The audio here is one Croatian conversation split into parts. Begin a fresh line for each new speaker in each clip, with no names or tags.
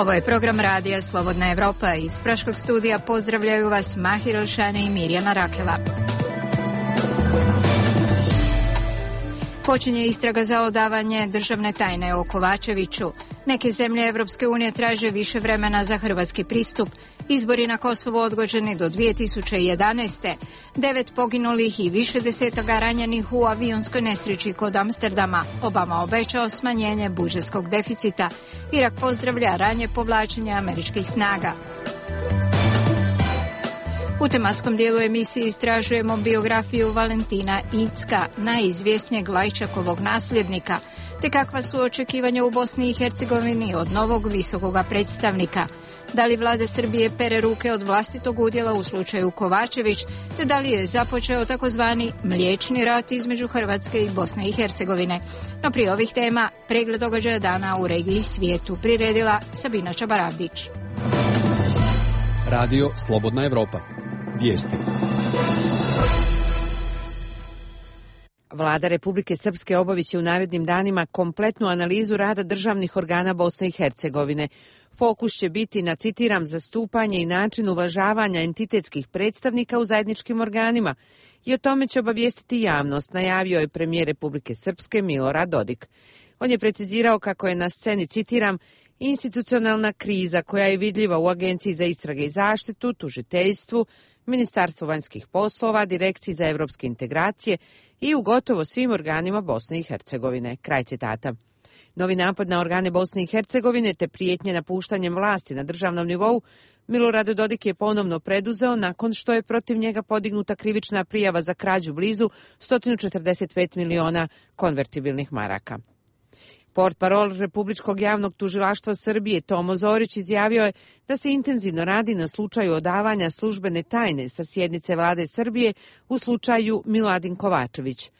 Ovo je program radija Slobodna Evropa. Iz Praškog studija pozdravljaju vas Mahir Elšane i Mirjana Rakela. Počinje istraga za odavanje državne tajne o Kovačeviću. Neke zemlje Evropske unije traže više vremena za hrvatski pristup. Izbori na Kosovu odgođeni do 2011. 9 poginulih i više desetoga ranjenih u avionskoj nesreći kod Amsterdama. Obama obećao smanjenje budžetskog deficita. Irak pozdravlja ranje povlačenje američkih snaga. U tematskom dijelu emisije istražujemo biografiju Valentina Incka, najizvjesnijeg Lajčakovog nasljednika, te kakva su očekivanja u Bosni i Hercegovini od novog visokoga predstavnika. Da li vlada Srbije pere ruke od vlastitog udjela u slučaju Kovačević, te da li je započeo takozvani mliječni rat između Hrvatske i Bosne i Hercegovine. No prije ovih tema, pregled događaja dana u regiji i svijetu priredila Sabina Čabaravdić.
Radio Slobodna Evropa. Vijesti.
Vlada Republike Srpske obaviće u narednim danima kompletnu analizu rada državnih organa Bosne i Hercegovine. Fokus će biti na, citiram, zastupanje i način uvažavanja entitetskih predstavnika u zajedničkim organima i o tome će obavijestiti javnost, najavio je premijer Republike Srpske Milorad Dodik. On je precizirao kako je na sceni, citiram, institucionalna kriza koja je vidljiva u Agenciji za istrage i zaštitu, tužiteljstvu, Ministarstvu vanjskih poslova, Direkciji za evropske integracije i u gotovo svim organima Bosne i Hercegovine. Kraj citata. Novi napad na organe Bosne i Hercegovine te prijetnje napuštanjem vlasti na državnom nivou Milorad Dodik je ponovno preduzeo nakon što je protiv njega podignuta krivična prijava za krađu blizu 145 miliona konvertibilnih maraka. Portparol Republičkog javnog tužilaštva Srbije Tomo Zorić izjavio je da se intenzivno radi na slučaju odavanja službene tajne sa sjednice vlade Srbije u slučaju Miladin Kovačević.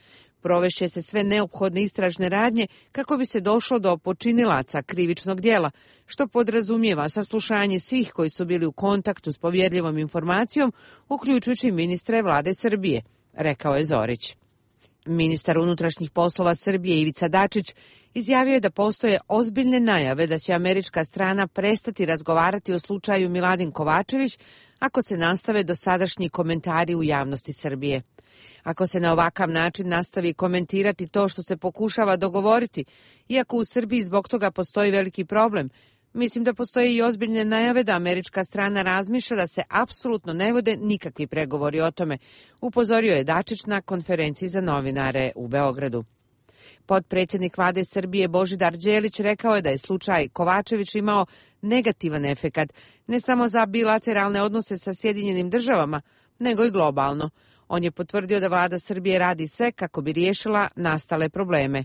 Provešće se sve neophodne istražne radnje kako bi se došlo do počinilaca krivičnog djela, što podrazumijeva saslušanje svih koji su bili u kontaktu s povjerljivom informacijom, uključujući ministre vlade Srbije, rekao je Zorić. Ministar unutrašnjih poslova Srbije Ivica Dačić izjavio je da postoje ozbiljne najave da će američka strana prestati razgovarati o slučaju Miladin Kovačević ako se nastave dosadašnji komentari u javnosti Srbije. Ako se na ovakav način nastavi komentirati to što se pokušava dogovoriti, iako u Srbiji zbog toga postoji veliki problem, mislim da postoje i ozbiljne najave da američka strana razmišlja da se apsolutno ne vode nikakvi pregovori o tome, upozorio je Dačić na konferenciji za novinare u Beogradu. Potpredsjednik vlade Srbije Božidar Đelić rekao je da je slučaj Kovačević imao negativan efekat ne samo za bilateralne odnose sa Sjedinjenim državama, nego i globalno. On je potvrdio da vlada Srbije radi sve kako bi riješila nastale probleme.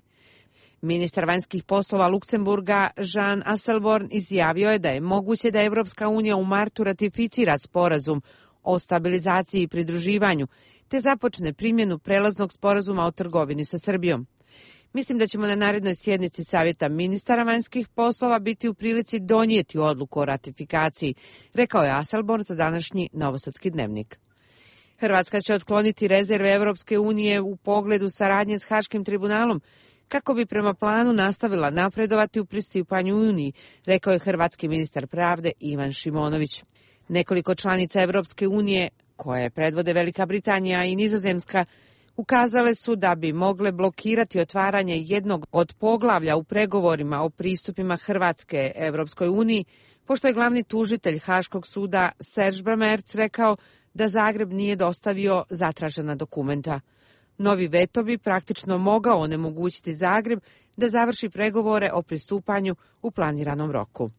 Ministar vanjskih poslova Luksemburga Jean Asselborn izjavio je da je moguće da Evropska unija u martu ratificira sporazum o stabilizaciji i pridruživanju, te započne primjenu prelaznog sporazuma o trgovini sa Srbijom. Mislim da ćemo na narednoj sjednici Savjeta ministara vanjskih poslova biti u prilici donijeti odluku o ratifikaciji, rekao je Asselborn za današnji Novosadski dnevnik. Hrvatska će otkloniti rezerve Evropske unije u pogledu saradnje s Haškim tribunalom, kako bi prema planu nastavila napredovati u pristupanju Uniji, rekao je hrvatski ministar pravde Ivan Šimonović. Nekoliko članica Evropske unije, koje predvode Velika Britanija i Nizozemska, ukazale su da bi mogle blokirati otvaranje jednog od poglavlja u pregovorima o pristupima Hrvatske Evropskoj uniji, pošto je glavni tužitelj Haškog suda Serge Bramertz rekao da Zagreb nije dostavio zatražena dokumenta. Novi veto bi praktično mogao onemogućiti Zagreb da završi pregovore o pristupanju u planiranom roku.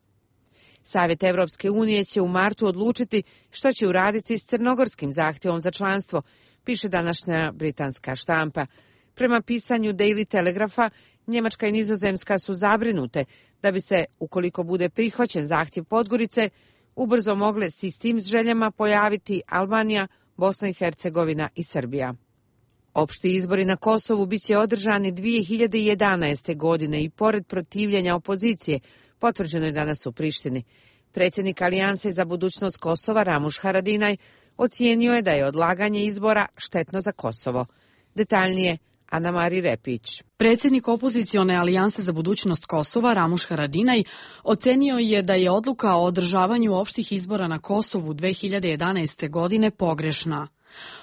Savjet Evropske unije će u martu odlučiti što će uraditi s crnogorskim zahtjevom za članstvo, piše današnja britanska štampa. Prema pisanju Daily Telegrapha, Njemačka i Nizozemska su zabrinute da bi se, ukoliko bude prihvaćen zahtjev Podgorice, ubrzo mogle s istim željama pojaviti Albanija, Bosna i Hercegovina i Srbija. Opšti izbori na Kosovu biće održani 2011. godine i pored protivljenja opozicije, potvrđeno je danas u Prištini. Predsjednik Alijanse za budućnost Kosova Ramuš Haradinaj ocijenio je da je odlaganje izbora štetno za Kosovo. Detaljnije Ana Marija Repić.
Predsjednik opozicione alijanse za budućnost Kosova, Ramuš Haradinaj, ocenio je da je odluka o održavanju opštih izbora na Kosovu 2011. godine pogrešna.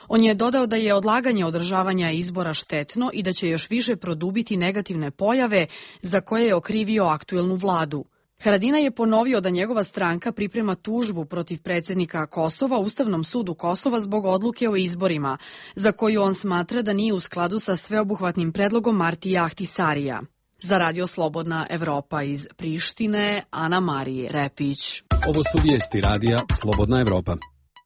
On je dodao da je odlaganje održavanja izbora štetno i da će još više produbiti negativne pojave za koje je okrivio aktuelnu vladu. Haradinaj je ponovio da njegova stranka priprema tužbu protiv predsjednika Kosova Ustavnom sudu Kosova zbog odluke o izborima, za koju on smatra da nije u skladu sa sveobuhvatnim predlogom Martija Ahtisarija. Za Radio Slobodna Evropa iz Prištine, Ana Marija Repić.
Ovo su vijesti Radija Slobodna Evropa.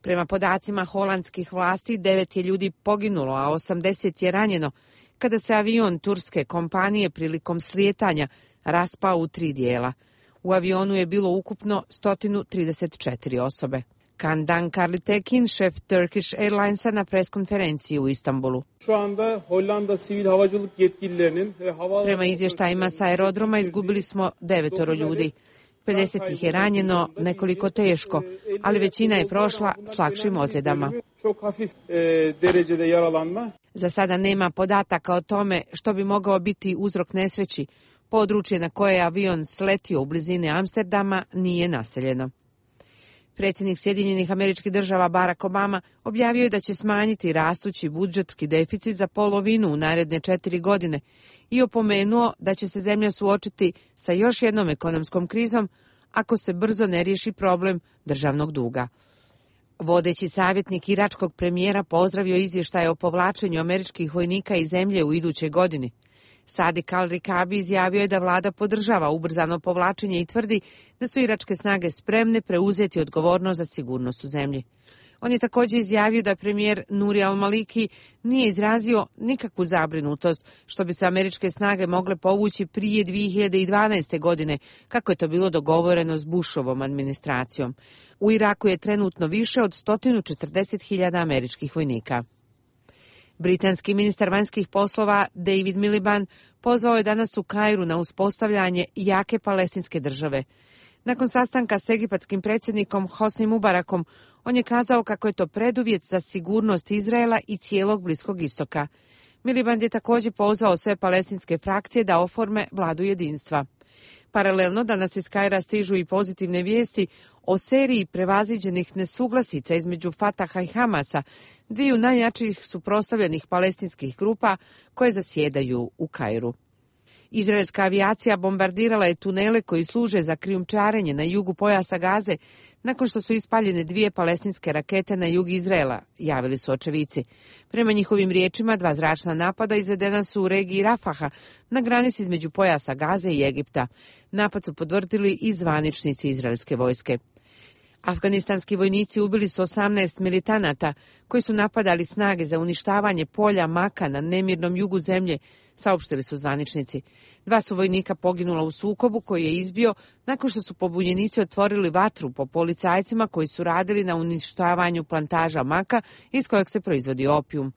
Prema podacima holandskih vlasti, 9 je ljudi poginulo, a 80 je ranjeno, kada se avion turske kompanije prilikom slijetanja raspao u 3 dijela. U avionu je bilo ukupno 134 osobe. Kandan Karlitekin, šef Turkish Airlinesa, na preskonferenciji u Istanbulu. Prema izvještajima sa aerodroma izgubili smo 9 ljudi. 50 ih je ranjeno, nekoliko teško, ali većina je prošla s lakšim ozljedama. Za sada nema podataka o tome što bi mogao biti uzrok nesreći. Područje na koje je avion sletio u blizini Amsterdama nije naseljeno. Predsjednik Sjedinjenih Američkih Država Barack Obama objavio je da će smanjiti rastući budžetski deficit za polovinu u naredne 4 godine i opomenuo da će se zemlja suočiti sa još jednom ekonomskom krizom ako se brzo ne riješi problem državnog duga. Vodeći savjetnik iračkog premijera pozdravio izvještaje o povlačenju američkih vojnika iz zemlje u idućoj godini. Sadik al-Rikabi izjavio je da vlada podržava ubrzano povlačenje i tvrdi da su iračke snage spremne preuzeti odgovornost za sigurnost u zemlji. On je također izjavio da premijer Nuri al-Maliki nije izrazio nikakvu zabrinutost što bi se američke snage mogle povući prije 2012. godine, kako je to bilo dogovoreno s Bushovom administracijom. U Iraku je trenutno više od 140.000 američkih vojnika. Britanski ministar vanjskih poslova David Miliband pozvao je danas u Kairu na uspostavljanje jake palestinske države. Nakon sastanka s egipatskim predsjednikom Hosni Mubarakom, on je kazao kako je to preduvjet za sigurnost Izraela i cijelog Bliskog istoka. Miliband je također pozvao sve palestinske frakcije da oforme vladu jedinstva. Paralelno danas iz Kaira stižu i pozitivne vijesti o seriji prevaziđenih nesuglasica između Fataha i Hamasa, dviju najjačih suprotstavljenih palestinskih grupa koje zasjedaju u Kairu. Izraelska avijacija bombardirala je tunele koji služe za krijumčarenje na jugu pojasa Gaze nakon što su ispaljene 2 palestinske rakete na jug Izraela, javili su očevici. Prema njihovim riječima, 2 zračna napada izvedena su u regiji Rafaha, na granici između pojasa Gaze i Egipta. Napad su potvrdili i zvaničnici izraelske vojske. Afganistanski vojnici ubili su 18 militanata koji su napadali snage za uništavanje polja Maka na nemirnom jugu zemlje, saopštili su zvaničnici. 2 su vojnika poginula u sukobu koji je izbio nakon što su pobunjenici otvorili vatru po policajcima koji su radili na uništavanju plantaža maka iz kojeg se proizvodi opijum.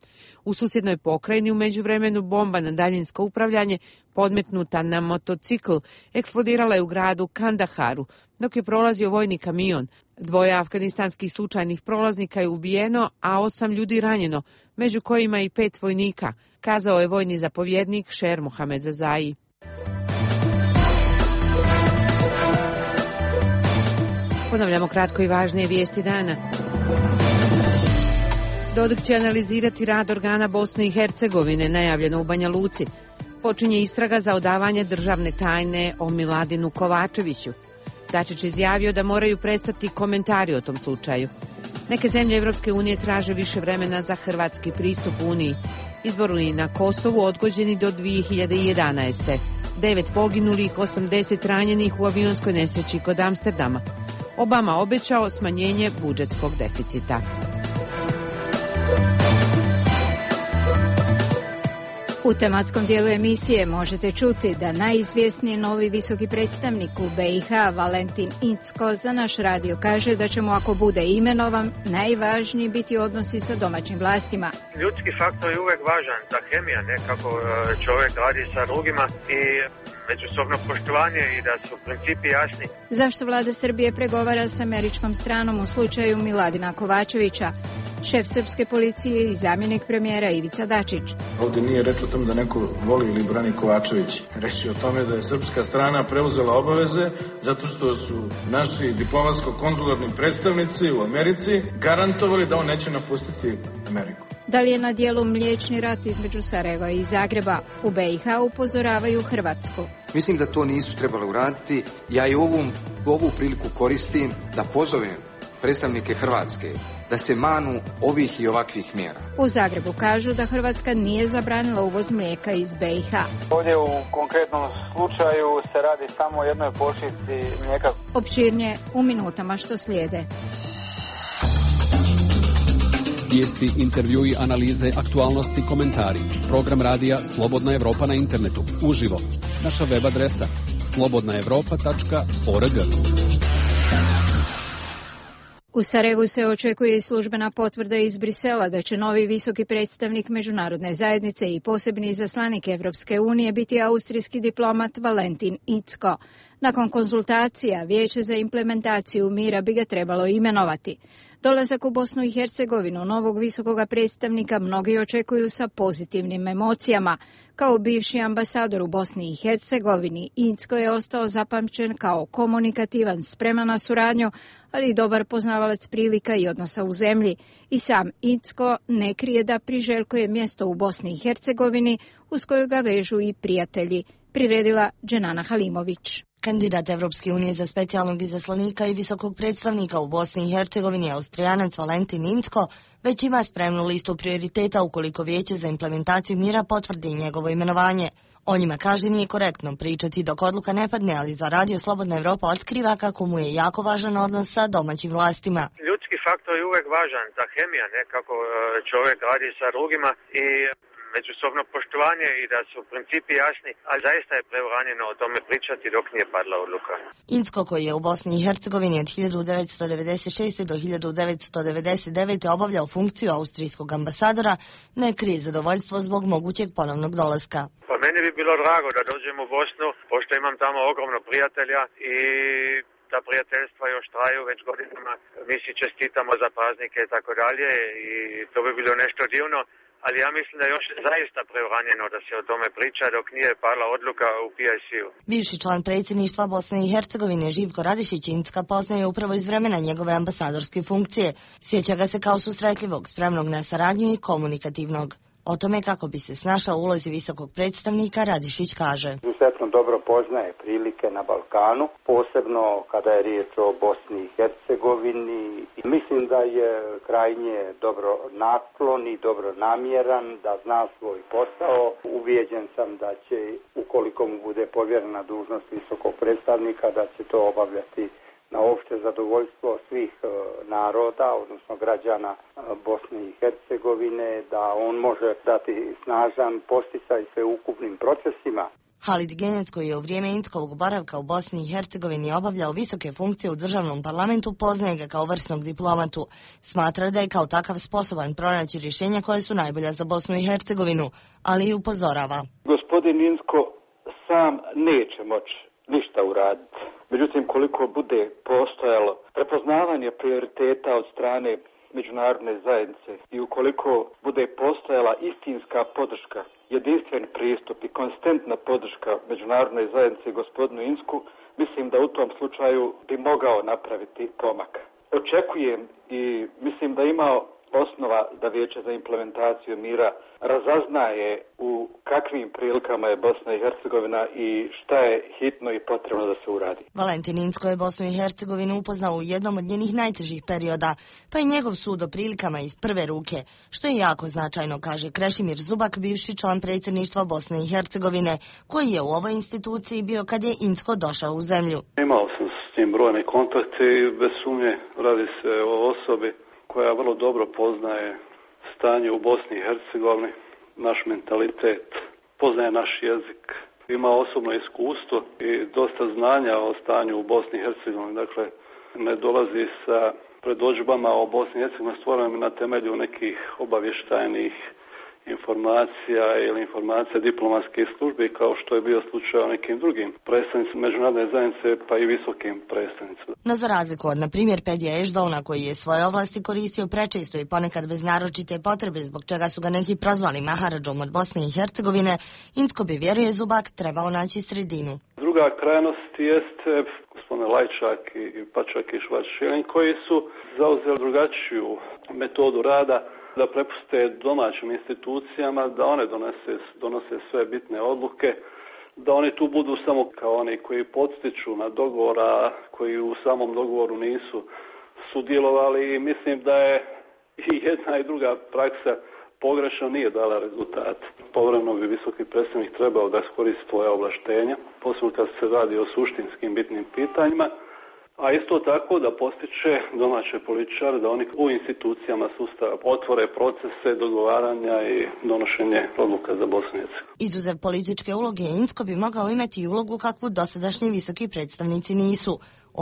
U susjednoj pokrajini u međuvremenu bomba na daljinsko upravljanje podmetnuta na motocikl eksplodirala je u gradu Kandaharu dok je prolazio vojni kamion. 2 afganistanskih slučajnih prolaznika je ubijeno, a 8 ljudi ranjeno, među kojima i 5 vojnika, kazao je vojni zapovjednik Šer Mohamed Zazai. Ponavljamo kratko i važnije vijesti dana. Dodik će analizirati rad organa Bosne i Hercegovine, najavljeno u Banja Luci. Počinje istraga za odavanje državne tajne o Miladinu Kovačeviću. Dačić izjavio da moraju prestati komentari o tom slučaju. Neke zemlje Evropske unije traže više vremena za hrvatski pristup Uniji. Izbori na Kosovu odgođeni do 2011. 9 poginulih, 80 ranjenih u avionskoj nesreći kod Amsterdama. Obama obećao smanjenje budžetskog deficita.
U tematskom dijelu emisije možete čuti da najizvjesniji novi visoki predstavnik u BiH, Valentin Incko, za naš radio kaže da će mu, ako bude imenovan, najvažniji biti odnosi sa domaćim vlastima.
Ljudski faktor je uvijek važan, ta hemija, kako čovjek radi sa drugima i međusobno poštovanje i da su principi jasni.
Zašto vlada Srbije pregovara s američkom stranom u slučaju Miladina Kovačevića? šef srpske policije i zamjenik premijera Ivica Dačić.
Ovdje nije reč o tome da neko voli ili brani Kovačević. Reč je o tome da je srpska strana preuzela obaveze zato što su naši diplomatsko-konzularni predstavnici u Americi garantovali da on neće napustiti Ameriku.
Da li je na dijelu mliječni rat između Sarajeva i Zagreba? U BiH upozoravaju Hrvatsku.
Mislim da to nisu trebali uraditi. Ja i ovu priliku koristim da pozovem predstavnike Hrvatske da se manu ovih i ovakvih mjera.
U Zagrebu kažu da Hrvatska nije zabranila uvoz mlijeka iz BiH.
Ovdje u konkretnom slučaju se radi samo o jednoj pošiljci mlijeka.
Opširnije u minutama što slijede.
Vijesti, intervjui, analize, aktualnosti, komentari. Program radija Slobodna Evropa na internetu. Uživo. Naša web adresa slobodnaevropa.org.
U Sarajevu se očekuje i službena potvrda iz Brisela da će novi visoki predstavnik međunarodne zajednice i posebni izaslanik Evropske unije biti austrijski diplomat Valentin Incko. Nakon konzultacija, Vijeće za implementaciju mira bi ga trebalo imenovati. Dolazak u Bosnu i Hercegovinu novog visokoga predstavnika mnogi očekuju sa pozitivnim emocijama. Kao bivši ambasador u Bosni i Hercegovini, Incko je ostao zapamćen kao komunikativan, spreman na suradnju, ali i dobar poznavalac prilika i odnosa u zemlji. I sam Incko ne krije da priželjkuje mjesto u Bosni i Hercegovini uz koju ga vežu i prijatelji, priredila Dženana Halimović.
Kandidat Evropske unije za specijalnog izaslanika i visokog predstavnika u Bosni i Hercegovini, Austrijanac Valentin Incko, već ima spremnu listu prioriteta ukoliko Vijeće za implementaciju mira potvrdi njegovo imenovanje. O njima kaže nije korektno pričati dok odluka ne padne, ali za Radio Slobodna Evropa otkriva kako mu je jako važan odnos sa domaćim vlastima.
Ljudski faktor je uvijek važan, ta hemija, ne, kako čovjek radi sa drugima i međusobno poštovanje i da su principi jasni, ali zaista je preuranjeno o tome pričati dok nije padla odluka.
Incko, koji je u Bosni i Hercegovini od 1996. do 1999. obavljao funkciju austrijskog ambasadora, ne krije zadovoljstvo zbog mogućeg ponovnog dolaska.
Pa meni bi bilo drago da dođem u Bosnu, pošto imam tamo ogromno prijatelja i ta prijateljstva još traju već godinama. Mi si čestitamo za praznike i tako dalje i to bi bilo nešto divno. Ali ja mislim da je još zaista preuranjeno da se o tome priča dok nije pala odluka u PIC-u.
Bivši član predsjedništva Bosne i Hercegovine Živko Radišić Incka poznaje upravo iz vremena njegove ambasadorske funkcije. Sjeća ga se kao susretljivog, spremnog na saradnju i komunikativnog. O tome kako bi se snašao u ulozi visokog predstavnika Radišić kaže:
Izuzetno dobro poznaje prilike na Balkanu, posebno kada je riječ o Bosni i Hercegovini. Mislim da je krajnje dobro naklon i dobro namjeran, da zna svoj posao. Ubijeđen sam da će, ukoliko mu bude povjerena dužnost visokog predstavnika, da će to obavljati na opšte zadovoljstvo svih naroda, odnosno građana Bosne i Hercegovine, da on može dati snažan posticaj sveukupnim procesima.
Halid Genjac, koji je u vrijeme Inckovog boravka u Bosni i Hercegovini obavljao visoke funkcije u državnom parlamentu, poznaje ga kao vrsnog diplomatu. Smatra da je kao takav sposoban pronaći rješenja koje su najbolja za Bosnu i Hercegovinu, ali i upozorava.
Gospodin Incko sam neće moći ništa uraditi. Međutim, koliko bude postojalo prepoznavanje prioriteta od strane međunarodne zajednice i ukoliko bude postojala istinska podrška, jedinstven pristup i konstantna podrška međunarodne zajednice gospodinu Incku, mislim da u tom slučaju bi mogao napraviti pomak. Očekujem i mislim da ima osnova da Vijeće za implementaciju mira razaznaje u kakvim prilikama je Bosna i Hercegovina i šta je hitno i potrebno da se uradi.
Valentin Incko je Bosnu i Hercegovinu upoznao u jednom od njenih najtežih perioda, pa i njegov sud o prilikama iz prve ruke, što je jako značajno, kaže Krešimir Zubak, bivši član predsjedništva Bosne i Hercegovine, koji je u ovoj instituciji bio kad je Incko došao u zemlju.
Imao sam s njim brojne kontakte i bez sumnje radi se o osobi koja vrlo dobro poznaje stanje u Bosni i Hercegovini, naš mentalitet, poznaje naš jezik, ima osobno iskustvo i dosta znanja o stanju u Bosni i Hercegovini. Dakle, ne dolazi sa predodžbama o Bosni i Hercegovini stvorenim na temelju nekih obavještajnih informacija ili informacija diplomatskih službi, kao što je bio slučaj o nekim drugim predstavnicima međunarodne zajednice, pa i visokim predstavnicima.
No za razliku od, na primjer, Pedija Ešdona, koji je svoje ovlasti koristio prečesto i ponekad bez naročite potrebe, zbog čega su ga neki prozvali Maharadžom od Bosne i Hercegovine, Incko bi, vjeruje Zubak, trebao naći sredinu.
Druga krajnost jeste gospodine Lajčak i pa čak i Švačilin, koji su zauzeli drugačiju metodu rada, da prepuste domaćim institucijama, da one donose sve bitne odluke, da oni tu budu samo kao oni koji podstiču na dogovor, a koji u samom dogovoru nisu sudjelovali, i mislim da je i jedna i druga praksa pogrešno nije dala rezultat. Povremeno bi visoki predstavnik trebao da iskoristi svoje ovlaštenja, posebno kad se radi o suštinskim bitnim pitanjima, a isto tako da postiče domaće političare da oni u institucijama sustava otvore procese dogovaranja i donošenje odluka za Bosnu i Hercegovinu.
Izuzev političke uloge, Incko bi mogao imati i ulogu kakvu dosadašnji visoki predstavnici nisu,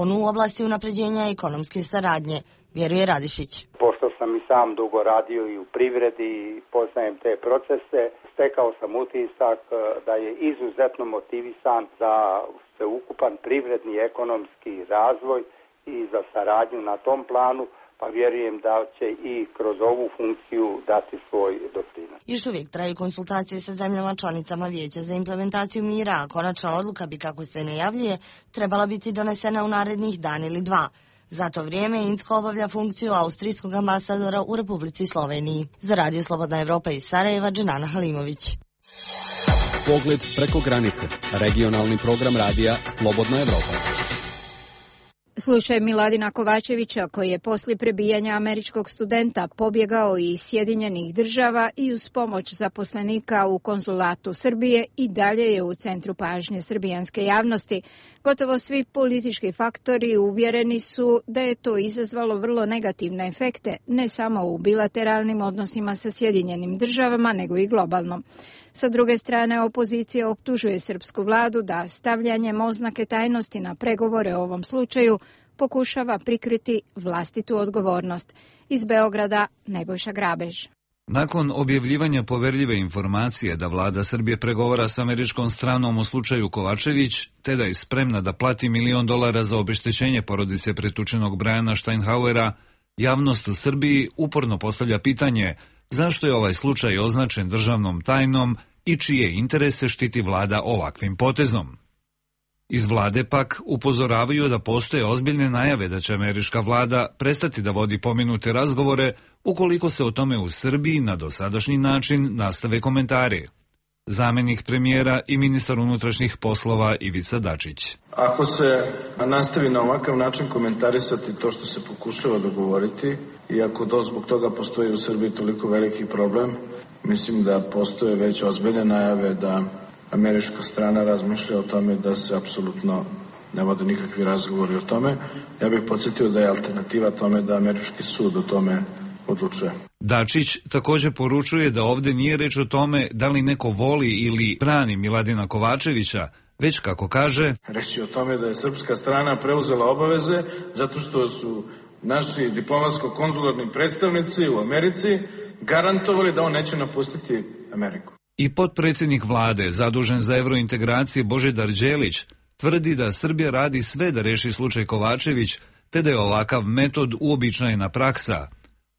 onu u oblasti unapređenja ekonomske saradnje, vjeruje Radišić.
Pošto sam i sam dugo radio i u privredi i poznajem te procese, stekao sam utisak da je izuzetno motivisan za sveukupan privredni i ekonomski razvoj i za saradnju na tom planu, pa vjerujem da će i kroz ovu funkciju dati svoj doprinos.
Još uvijek traju konsultacije sa zemljama članicama Vijeća za implementaciju mira, a konačna odluka bi, kako se najavljuje, trebala biti donesena u narednih dan ili dva. Za to vrijeme Incko obavlja funkciju austrijskog ambasadora u Republici Sloveniji. Za Radio Slobodna Evropa iz Sarajeva, Dženana Halimović.
Pogled preko granice. Regionalni program radija Slobodna Evropa.
Slučaj Miladina Kovačevića, koji je poslije prebijanja američkog studenta pobjegao iz Sjedinjenih Država i uz pomoć zaposlenika u konzulatu Srbije, i dalje je u centru pažnje srbijanske javnosti. Gotovo svi politički faktori uvjereni su da je to izazvalo vrlo negativne efekte, ne samo u bilateralnim odnosima sa Sjedinjenim Državama, nego i globalno. Sa druge strane, opozicija optužuje srpsku vladu da stavljanjem oznake tajnosti na pregovore o ovom slučaju pokušava prikriti vlastitu odgovornost. Iz Beograda, Nebojša Grabež.
Nakon objavljivanja poverljive informacije da vlada Srbije pregovara s američkom stranom o slučaju Kovačević, te da je spremna da plati $1 milion za obeštećenje porodice pretučenog Briana Steinhauera, javnost u Srbiji uporno postavlja pitanje zašto je ovaj slučaj označen državnom tajnom i čije interese štiti vlada ovakvim potezom. Iz vlade pak upozoravaju da postoje ozbiljne najave da će američka vlada prestati da vodi pomenute razgovore ukoliko se o tome u Srbiji na dosadašnji način nastave komentari. Zamenik premijera i ministar unutrašnjih poslova Ivica Dačić.
Ako se nastavi na ovakav način komentarisati to što se pokušava dogovoriti, i ako zbog toga postoji u Srbiji toliko veliki problem, mislim da postoje već ozbiljne najave da američka strana razmišlja o tome da se apsolutno ne vode nikakvi razgovori o tome. Ja bih podsjetio da je alternativa tome da američki sud o tome odlučuje.
Dačić također poručuje da ovdje nije reč o tome da li neko voli ili brani Miladina Kovačevića, već, kako kaže,
reći o tome da je srpska strana preuzela obaveze zato što su naši diplomatsko-konzularni predstavnici u Americi garantovali da on neće napustiti Ameriku.
I potpredsjednik vlade, zadužen za evrointegracije Božidar Đelić, tvrdi da Srbija radi sve da reši slučaj Kovačević, te da je ovakav metod uobičajena praksa.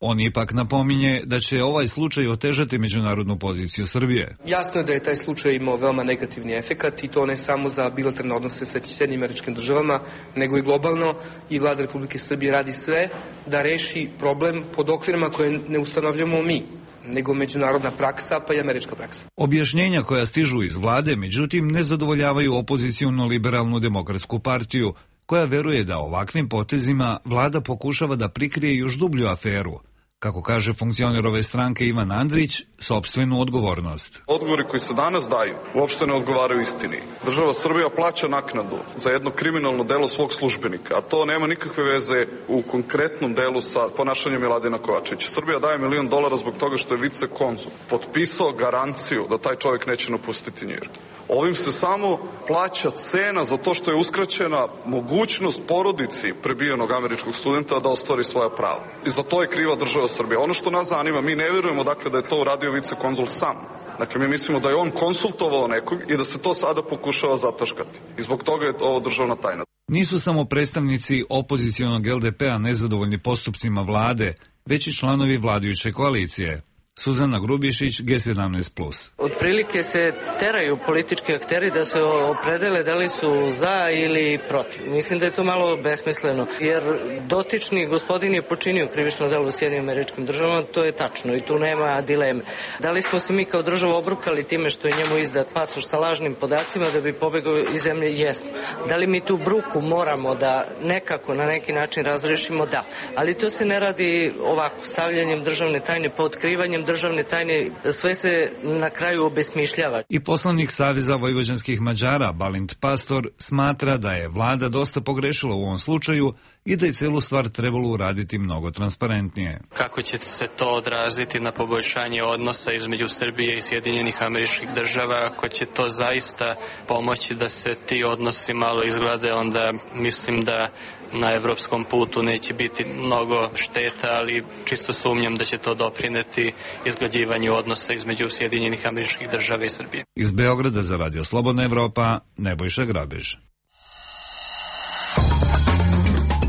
On ipak napominje da će ovaj slučaj otežati međunarodnu poziciju Srbije.
Jasno je da je taj slučaj imao veoma negativni efekat, i to ne samo za bilateralne odnose sa Sjedinjenim Američkim Državama, nego i globalno, i vlada Republike Srbije radi sve da reši problem pod okvirima koje ne ustanovljamo mi, nego međunarodna praksa, pa i američka praksa.
Objašnjenja koja stižu iz vlade, međutim, ne zadovoljavaju opoziciono liberalnu demokratsku partiju, koja veruje da ovakvim potezima vlada pokušava da prikrije još dublju aferu, kako kaže funkcioner ove stranke Ivan Andrić, sopstvenu odgovornost.
Odgovori koji se danas daju uopšte ne odgovaraju istini. Država Srbija plaća naknadu za jedno kriminalno delo svog službenika, a to nema nikakve veze u konkretnom delu sa ponašanjem Miladina Kovačevića. Srbija daje $1 milion zbog toga što je vicekonzul potpisao garanciju da taj čovjek neće napustiti Njujork. Ovim se samo plaća cena za to što je uskraćena mogućnost porodici prebijenog američkog studenta da ostvari svoja prava. I za to je kriva država Srbija. Ono što nas zanima, mi ne vjerujemo dakle da je to uradio vicekonzul sam. Dakle, mi mislimo da je on konsultovao nekog i da se to sada pokušava zataškati. I zbog toga je ovo državna tajna.
Nisu samo predstavnici opozicionog LDP-a nezadovoljni postupcima vlade, već i članovi vladajuće koalicije. Suzana Grubišić, G17+.
Otprilike se teraju politički akteri da se opredele da li su za ili protiv. Mislim da je to malo besmisleno, jer dotični gospodin je počinio krivično delo u Sjedinjenim Američkim Državama, to je tačno i tu nema dileme. Da li smo se mi kao država obrukali time što je njemu izdat pasoš sa lažnim podacima da bi pobegao iz zemlje? Jesmo. Da li mi tu bruku moramo da nekako na neki način razrešimo? Da. Ali to se ne radi ovako, stavljanjem državne tajne, pa otkrivanjem državne tajne, sve se na kraju obesmišljava.
I poslanik Saveza vojvođanskih Mađara, Balint Pastor, smatra da je vlada dosta pogrešila u ovom slučaju i da je celu stvar trebalo uraditi mnogo transparentnije.
Kako će se to odraziti na poboljšanje odnosa između Srbije i Sjedinjenih Američkih Država? Ako će to zaista pomoći da se ti odnosi malo izglede, onda mislim da na evropskom putu neće biti mnogo šteta, ali čisto sumnjam da će to doprineti izglađivanju odnosa između Sjedinjenih Američkih Država i Srbije.
Iz Beograda za Radio Slobodna Evropa, Nebojša Grabež.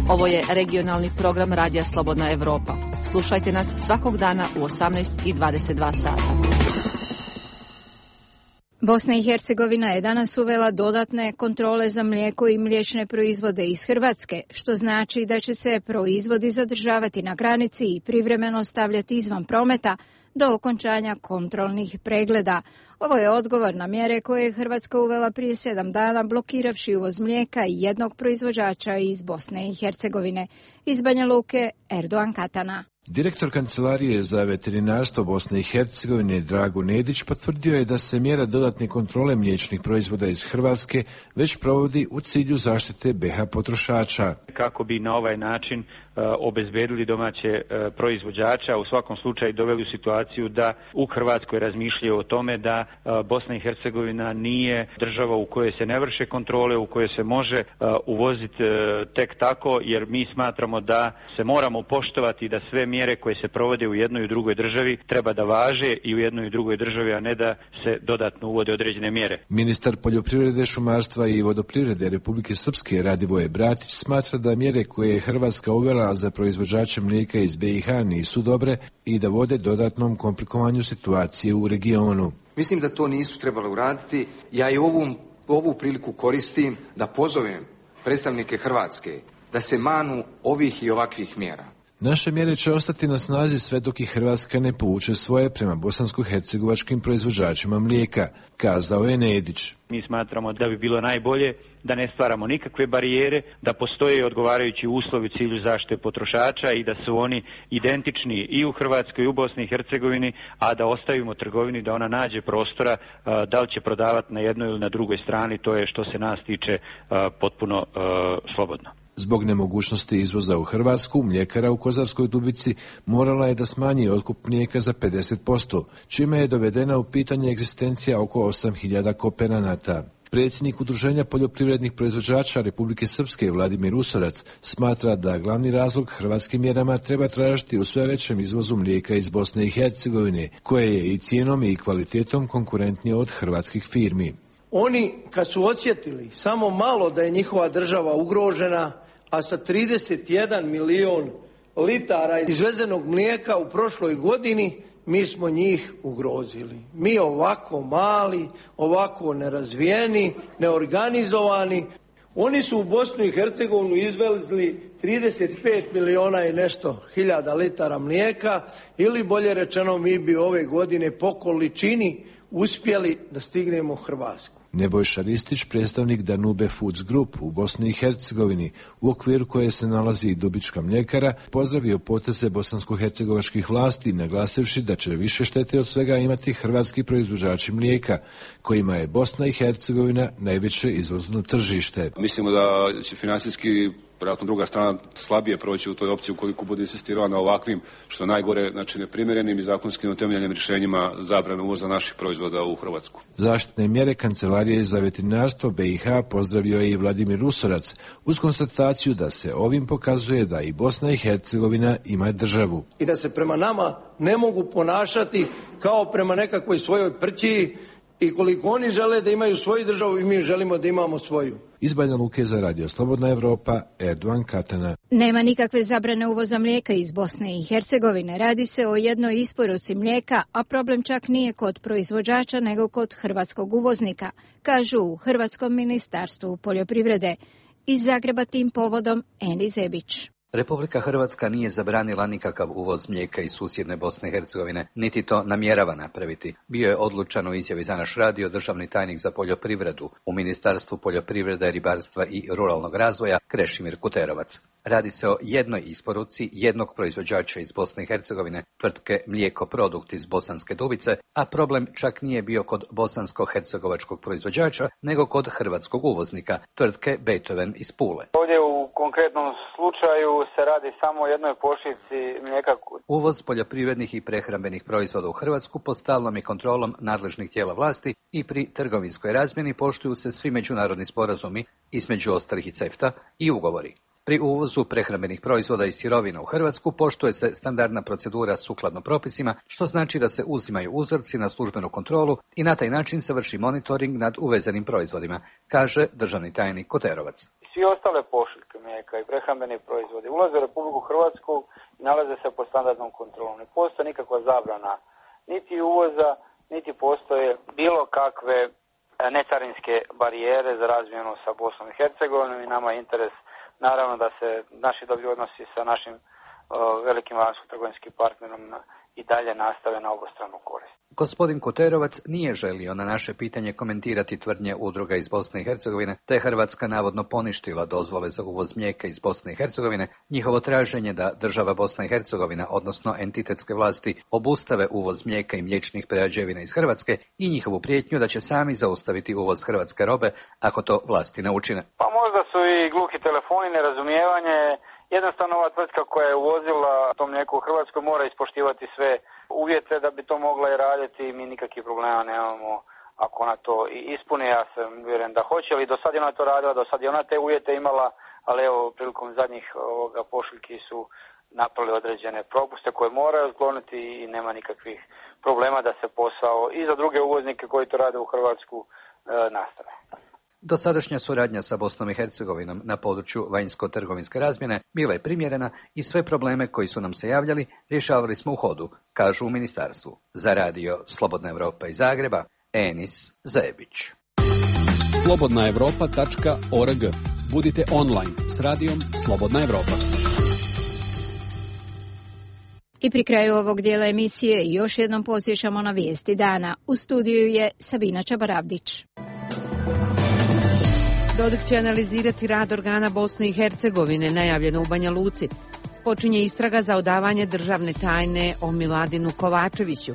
Ovo je regionalni program Radija Slobodna Evropa. Slušajte nas svakog dana u 18:22 sata.
Bosna i Hercegovina je danas uvela dodatne kontrole za mlijeko i mliječne proizvode iz Hrvatske, što znači da će se proizvodi zadržavati na granici i privremeno stavljati izvan prometa do okončanja kontrolnih pregleda. Ovo je odgovor na mjere koje je Hrvatska uvela prije 7 dana, blokiravši uvoz mlijeka i jednog proizvođača iz Bosne i Hercegovine. Iz Banja Luke, Erdogan Katana.
Direktor Kancelarije za veterinarstvo Bosne i Hercegovine Drago Nedić potvrdio je da se mjera dodatne kontrole mliječnih proizvoda iz Hrvatske već provodi u cilju zaštite BiH potrošača.
Kako bi na ovaj način obezbedili domaće proizvođača, u svakom slučaju doveli u situaciju da u Hrvatskoj razmišljaju o tome da Bosna i Hercegovina nije država u kojoj se ne vrše kontrole, u kojoj se može uvoziti tek tako, jer mi smatramo da se moramo poštovati da sve mjere koje se provode u jednoj i drugoj državi treba da važe i u jednoj i drugoj državi, a ne da se dodatno uvode određene mjere. Ministar poljoprivrede, šumarstva i vodoprivrede Republike Srpske Radivoje Bratić smatra da mjere koje je Hrvatska uvela za proizvođače mlijeka iz BiH nisu dobre i da vode dodatnom komplikovanju situacije u regionu.
Mislim da to nisu trebali uraditi. Ja i ovu priliku koristim da pozovem predstavnike Hrvatske da se manu ovih i ovakvih mjera.
Naše mjere će ostati na snazi sve dok i Hrvatska ne povuče svoje prema bosansko-hercegovačkim proizvođačima mlijeka, kazao je Nedić.
Mi smatramo da bi bilo najbolje da ne stvaramo nikakve barijere, da postoje odgovarajući uslovi u cilju zaštite potrošača i da su oni identični i u Hrvatskoj i u Bosni i Hercegovini, a da ostavimo trgovini da ona nađe prostora da li će prodavati na jednoj ili na drugoj strani, to je što se nas tiče potpuno slobodno.
Zbog nemogućnosti izvoza u Hrvatsku, mljekara u Kozarskoj Dubici morala je da smanji otkup mlijeka za 50%, čime je dovedena u pitanje egzistencija oko 8.000 kooperanata. Predsjednik Udruženja poljoprivrednih proizvođača Republike Srpske Vladimir Usorac smatra da glavni razlog hrvatskim mjerama treba tražiti u sve većem izvozu mlijeka iz Bosne i Hercegovine, koje je i cijenom i kvalitetom konkurentnije od hrvatskih firmi.
Oni kad su osjetili samo malo da je njihova država ugrožena, a sa 31 milion litara izvezenog mlijeka u prošloj godini, mi smo njih ugrozili. Mi ovako mali, ovako nerazvijeni, neorganizovani. Oni su u Bosnu i Hercegovinu izvezli 35 miliona i nešto hiljada litara mlijeka, ili bolje rečeno mi bi ove godine po količini uspjeli da stignemo Hrvatsku.
Nebojša Ristić, predstavnik Danube Foods Group u Bosni i Hercegovini, u okviru koje se nalazi i Dubička mljekara, pozdravio poteze bosansko-hercegovačkih vlasti, naglasivši da će više štete od svega imati hrvatski proizvođači mlijeka, kojima je Bosna i Hercegovina najveće izvozno tržište.
Mislimo da će financijski vjerojatno druga strana slabije proći u toj opciji ukoliko bude insistirala na ovakvim, što najgore, znači neprimjerenim i zakonskim utemeljenim rješenjima zabrane uvoza naših proizvoda u Hrvatsku.
Zaštitne mjere Kancelarije za veterinarstvo BiH pozdravio je i Vladimir Rusorac uz konstataciju da se ovim pokazuje da i Bosna i Hercegovina ima državu.
I da se prema nama ne mogu ponašati kao prema nekakvoj svojoj prćiji i koliko oni žele da imaju svoju državu i mi želimo da imamo svoju.
Iz Banja Luke za Radio Slobodna Evropa, Erdogan Katana.
Nema nikakve zabrane uvoza mlijeka iz Bosne i Hercegovine. Radi se o jednoj isporuci mlijeka, a problem čak nije kod proizvođača nego kod hrvatskog uvoznika, kažu u Hrvatskom ministarstvu poljoprivrede. Iz Zagreba tim povodom Eni Zebić.
Republika Hrvatska nije zabranila nikakav uvoz mlijeka iz susjedne Bosne i Hercegovine, niti to namjerava napraviti. Bio je odlučan u izjavi za naš radio državni tajnik za poljoprivredu u Ministarstvu poljoprivrede, ribarstva i ruralnog razvoja Krešimir Kuterovac. Radi se o jednoj isporuci jednog proizvođača iz Bosne i Hercegovine, tvrtke Mlijeko Produkt iz Bosanske Dubice, a problem čak nije bio kod bosansko-hercegovačkog proizvođača, nego kod hrvatskog uvoznika, tvrtke Beethoven iz Pule.
Ovdje u konkretnom slučaju se radi samo o jednoj pošiljci mlijeka.
Uvoz poljoprivrednih i prehrambenih proizvoda u Hrvatsku pod stalnom i kontrolom nadležnih tijela vlasti i pri trgovinskoj razmjeni poštuju se svi međunarodni sporazumi, između ostalih i CEFTA i ugovori. Pri uvozu prehrambenih proizvoda i sirovina u Hrvatsku poštuje se standardna procedura sukladno propisima, što znači da se uzimaju uzorci na službenu kontrolu i na taj način se vrši monitoring nad uvezenim proizvodima, kaže državni tajnik Koterovac.
Svi ostale pošiljke mlijeka i prehrambeni proizvodi ulaze u Republiku Hrvatsku i nalaze se pod standardnom kontrolom. Ne postoji nikakva zabrana niti uvoza, niti postoje bilo kakve necarinske barijere za razmjenu sa Bosnom i Hercegovinom i nama je interes naravno da se naši dobri odnosi sa našim velikim vanjsko-trgovinskim partnerom i dalje nastave na obostranu korist.
Gospodin Koterovac nije želio na naše pitanje komentirati tvrdnje udruga iz Bosne i Hercegovine, te Hrvatska navodno poništila dozvole za uvoz mlijeka iz Bosne i Hercegovine, njihovo traženje da država Bosna i Hercegovina, odnosno entitetske vlasti, obustave uvoz mlijeka i mliječnih prerađevina iz Hrvatske i njihovu prijetnju da će sami zaustaviti uvoz hrvatske robe ako to vlasti ne učine.
Pa možda su i gluhi telefoni, nerazumijevanje. Jednostavno ova tvrtka koja je uvozila to mlijeko u Hrvatskoj mora ispoštivati sve uvjete da bi to mogla i raditi i mi nikakvih problema nemamo ako ona to i ispuni. Ja sam uvjeren da hoće, ali do sad je ona to radila, do sad je ona te uvjete imala, ali evo prilikom zadnjih pošiljki su napravili određene propuste koje moraju otkloniti i nema nikakvih problema da se posao i za druge uvoznike koji to rade u Hrvatsku nastave.
Dosadašnja suradnja sa Bosnom i Hercegovinom na području vanjsko-trgovinske razmjene bila je primjerena i sve probleme koji su nam se javljali rješavali smo u hodu, kažu u ministarstvu. Za radio Slobodna Evropa iz Zagreba, Enis Zebić.
slobodnaevropa.org. Budite online s radijom Slobodna Evropa.
I pri kraju ovog dijela emisije još jednom podsjećamo na vijesti dana. U studiju je Sabina Čabaravdić.
Dodik će analizirati rad organa Bosne i Hercegovine, najavljeno u Banja Luci. Počinje istraga za odavanje državne tajne o Miladinu Kovačeviću.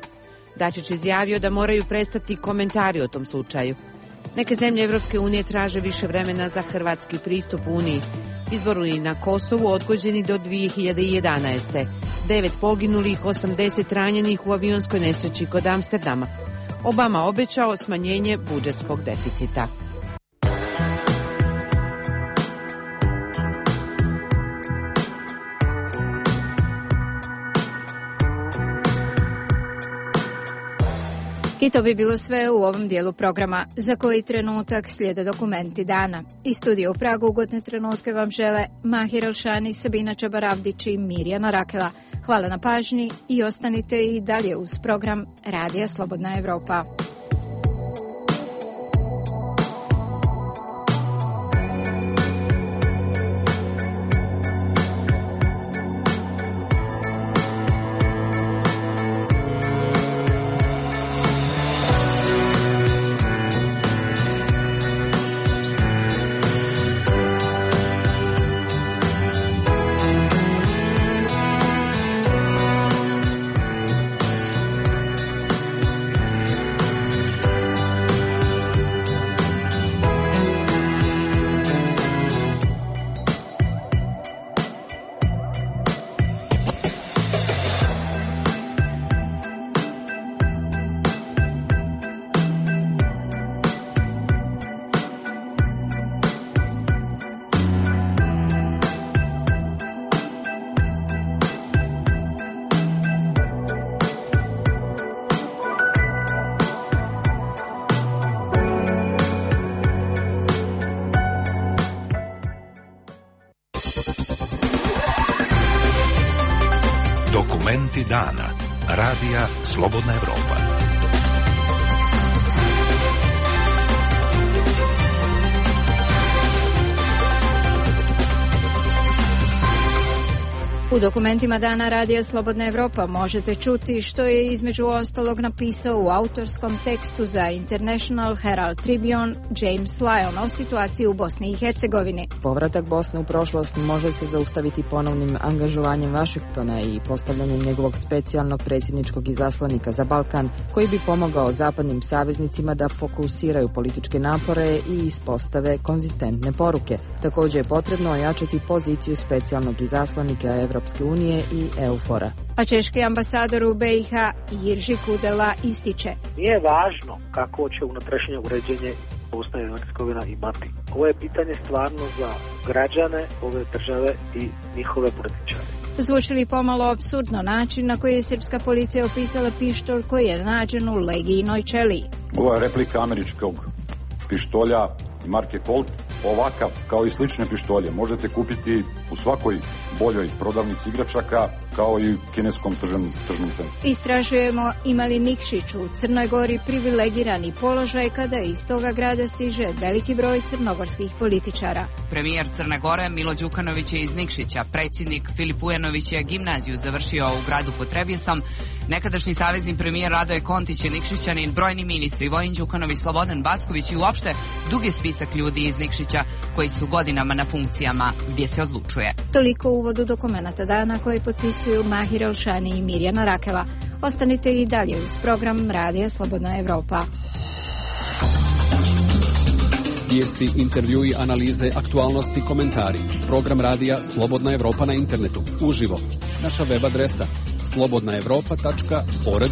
Dačić izjavio da moraju prestati komentari o tom slučaju. Neke zemlje Evropske unije traže više vremena za hrvatski pristup Uniji. Izbori na Kosovu odgođeni do 2011. 9 poginulih, 80 ranjenih u avionskoj nesreći kod Amsterdama. Obama obećao smanjenje budžetskog deficita.
I to bi bilo sve u ovom dijelu programa. Za koji trenutak slijede dokumenti dana. Iz studija u Pragu ugodne trenutke vam žele Mahir Elšani, Sabina Čabaravdić i Mirjana Rakela. Hvala na pažnji i ostanite i dalje uz program Radija Slobodna Evropa.
Talenti dana. Radija Slobodna Evropa.
U dokumentima Dana Radija Slobodna Evropa možete čuti što je između ostalog napisao u autorskom tekstu za International Herald Tribune James Lyon o situaciji u Bosni i Hercegovini.
Povratak Bosne u prošlost može se zaustaviti ponovnim angažovanjem Vašingtona i postavljanjem njegovog specijalnog predsjedničkog izaslanika za Balkan, koji bi pomogao zapadnim saveznicima da fokusiraju političke napore i ispostave konzistentne poruke. Također je potrebno ojačati poziciju specijalnog izaslanika Evropske unije i EUFOR-a.
A češki ambasador u BiH Jirži Kudela ističe:
Nije važno kako će unutrašnje uređenje Bosna i Hercegovina imati. Ovo je pitanje stvarno za građane ove države i njihove političare.
Zvuči li pomalo apsurdno način na koji je srpska policija opisala pištolj koji je nađen u Legijinoj ćeliji?
Ovo je replika američkog pištolja marke Colt. Ovakav, kao i slične pištolje, možete kupiti u svakoj boljoj prodavnici igračaka, kao i u kineskom tržnom centru.
Istražujemo ima li Nikšić u Crnoj Gori privilegirani položaj kada iz toga grada stiže veliki broj crnogorskih političara.
Premijer Crne Gore Milo Đukanović je iz Nikšića, predsjednik Filip Ujanović je gimnaziju završio u gradu pod Trebjesom, nekadašnji savezni premijer Radoje Kontić je Nikšićanin, brojni ministri Vojin Đukanović, Slobodan Backović i uopšte dugi spisak ljudi iz Nikšića koji su godinama na funkcijama gdje se odlučuje.
Toliko u uvodu dokumenata dana koje potpisuju Mahir Elšani i Mirjana Rakela. Ostanite i dalje uz program Radija Slobodna Evropa.
Vijesti, intervjui, analize, aktualnosti, komentari. Program Radija Slobodna Evropa na internetu. Uživo. Naša web adresa slobodnaevropa.org.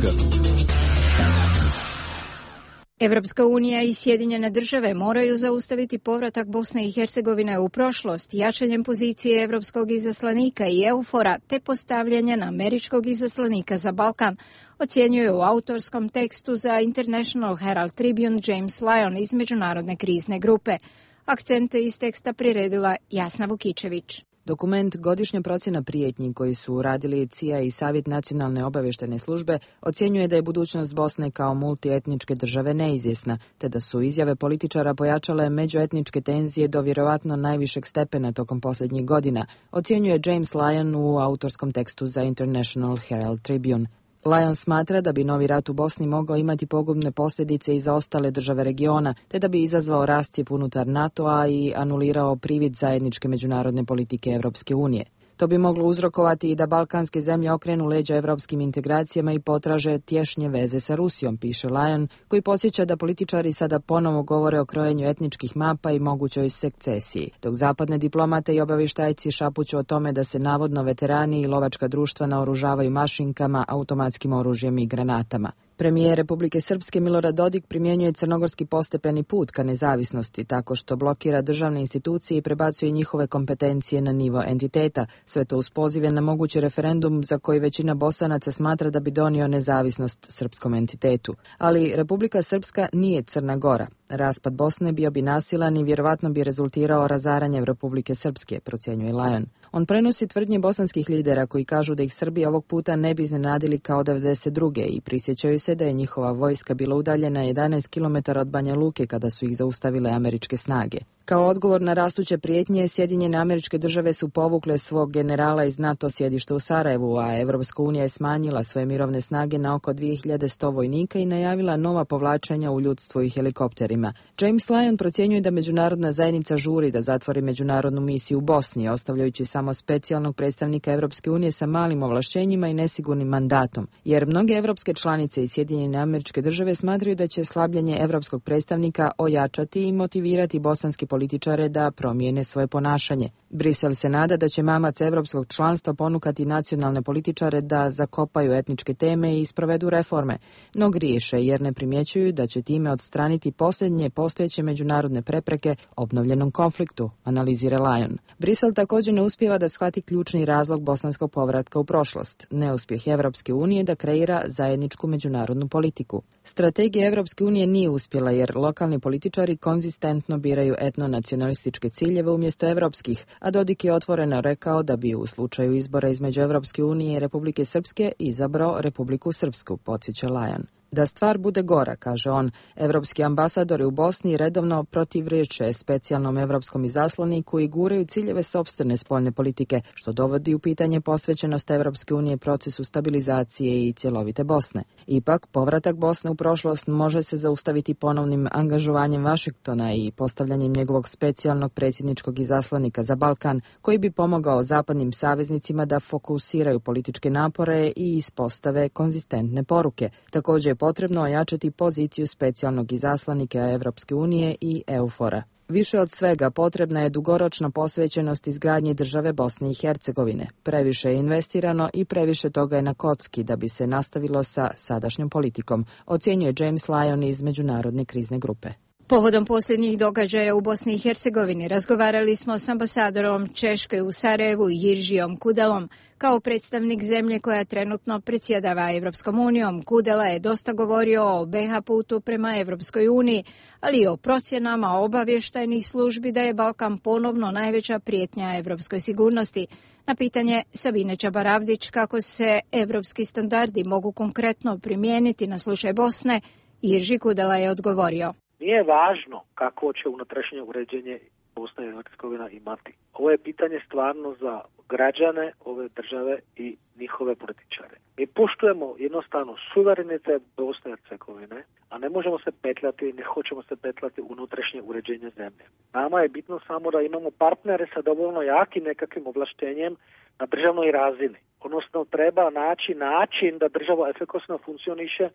Evropska unija i Sjedinjene države moraju zaustaviti povratak Bosne i Hercegovine u prošlost jačanjem pozicije evropskog izaslanika i EUFOR-a te postavljanjem američkog izaslanika za Balkan, ocjenjuje u autorskom tekstu za International Herald Tribune James Lyon iz Međunarodne krizne grupe. Akcente iz teksta priredila Jasna Vukičević.
Dokument Godišnja procjena prijetnji koji su radili CIA i Savjet nacionalne obavještajne službe ocjenjuje da je budućnost Bosne kao multietničke države neizvjesna, te da su izjave političara pojačale međuetničke tenzije do vjerovatno najvišeg stepena tokom posljednjih godina, ocjenjuje James Lyon u autorskom tekstu za International Herald Tribune. Lyon smatra da bi novi rat u Bosni mogao imati pogubne posljedice i za ostale države regiona, te da bi izazvao rascjep unutar NATO-a i anulirao privid zajedničke međunarodne politike Europske unije. To bi moglo uzrokovati i da balkanske zemlje okrenu leđa evropskim integracijama i potraže tješnje veze sa Rusijom, piše Lyon, koji podsjeća da političari sada ponovo govore o krojenju etničkih mapa i mogućoj sekcesiji, dok zapadne diplomate i obavještajci šapuću o tome da se navodno veterani i lovačka društva naoružavaju mašinkama, automatskim oružjem i granatama. Premijer Republike Srpske Milorad Dodik primjenjuje crnogorski postepeni put ka nezavisnosti tako što blokira državne institucije i prebacuje njihove kompetencije na nivo entiteta, sve to uz pozive na mogući referendum za koji većina Bosanaca smatra da bi donio nezavisnost srpskom entitetu. Ali Republika Srpska nije Crna Gora. Raspad Bosne bio bi nasilan i vjerovatno bi rezultirao razaranjem Republike Srpske, procjenjuje Lyon. On prenosi tvrdnje bosanskih lidera koji kažu da ih Srbi ovog puta ne bi iznenadili kao 92. i prisjećaju se da je njihova vojska bila udaljena 11 km od Banja Luke kada su ih zaustavile američke snage. Kao odgovor na rastuće prijetnje, Sjedinjene Američke Države su povukle svog generala iz NATO sjedišta u Sarajevu, a Evropska unija je smanjila svoje mirovne snage na oko 2100 vojnika i najavila nova povlačenja u ljudstvu i helikopterima. James Lyon procjenjuje da međunarodna zajednica žuri da zatvori međunarodnu misiju u Bosni, ostavljajući samo specijalnog predstavnika Evropske unije sa malim ovlašćenjima i nesigurnim mandatom, jer mnoge evropske članice i Sjedinjene Američke Države smatraju da će slabljenje evropskog predstavnika ojačati i motivirati bosanski političare da promijene svoje ponašanje. Brisel se nada da će mamac evropskog članstva ponukati nacionalne političare da zakopaju etničke teme i sprovedu reforme, no griješe jer ne primjećuju da će time odstraniti posljednje postojeće međunarodne prepreke obnovljenom konfliktu, analizira Lyon. Brisel također ne uspijeva da shvati ključni razlog bosanskog povratka u prošlost, neuspjeh Evropske unije da kreira zajedničku međunarodnu politiku. Strategija Evropske unije nije uspjela jer lokalni političari konzistentno biraju etno etno-nacionalističke ciljeve umjesto evropskih, a Dodik je otvoreno rekao da bi u slučaju izbora između Evropske unije i Republike Srpske izabrao Republiku Srpsku, podsjeća Lajan. Da stvar bude gora, kaže on, evropski ambasadori u Bosni redovno protivriječe specijalnom evropskom izaslaniku i guraju ciljeve sopstvene spoljne politike, što dovodi u pitanje posvećenost Evropske unije procesu stabilizacije i cjelovite Bosne. Ipak, povratak Bosne u prošlost može se zaustaviti ponovnim angažovanjem Vašingtona i postavljanjem njegovog specijalnog predsjedničkog izaslanika za Balkan, koji bi pomogao zapadnim saveznicima da fokusiraju političke napore i ispostave konzistentne poruke. Također je potrebno ojačati poziciju specijalnog izaslanika Evropske unije i EUFOR-a. Više od svega potrebna je dugoročna posvećenost izgradnji države Bosne i Hercegovine. Previše je investirano i previše toga je na kocki da bi se nastavilo sa sadašnjom politikom, ocjenjuje James Lyon iz Međunarodne krizne grupe.
Povodom posljednjih događaja u Bosni i Hercegovini razgovarali smo s ambasadorom Češke u Sarajevu Jiržijom Kudelom. Kao predstavnik zemlje koja trenutno predsjedava Evropskom unijom, Kudela je dosta govorio o BiH putu prema Evropskoj uniji, ali i o procjenama obavještajnih službi da je Balkan ponovno najveća prijetnja evropskoj sigurnosti. Na pitanje Sabine Čabaravdić kako se evropski standardi mogu konkretno primijeniti na slučaj Bosne, Jirži Kudela je odgovorio.
Nije važno kako će unutrašnje uređenje Bosna i Hercegovina imati. Ovo je pitanje stvarno za građane ove države i njihove političare. Mi poštujemo jednostavno suverenitet Bosne i Hercegovine, a ne možemo se petljati, ne hoćemo se petljati unutrašnje uređenje zemlje. Nama je bitno samo da imamo partnere sa dovoljno jakim nekakvim ovlaštenjem na državnoj razini. Odnosno treba naći način da država efikasno funkcioniše,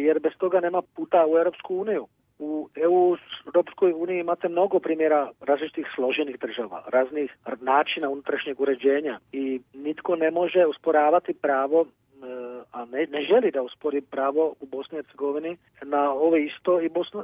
jer bez toga nema puta u Europsku uniju. U Europskoj uniji imate mnogo primjera različitih složenih država, raznih načina unutrašnjeg uređenja i nitko ne može usporavati pravo, a ne želi da uspori pravo u Bosni i Hercegovini na ovo isto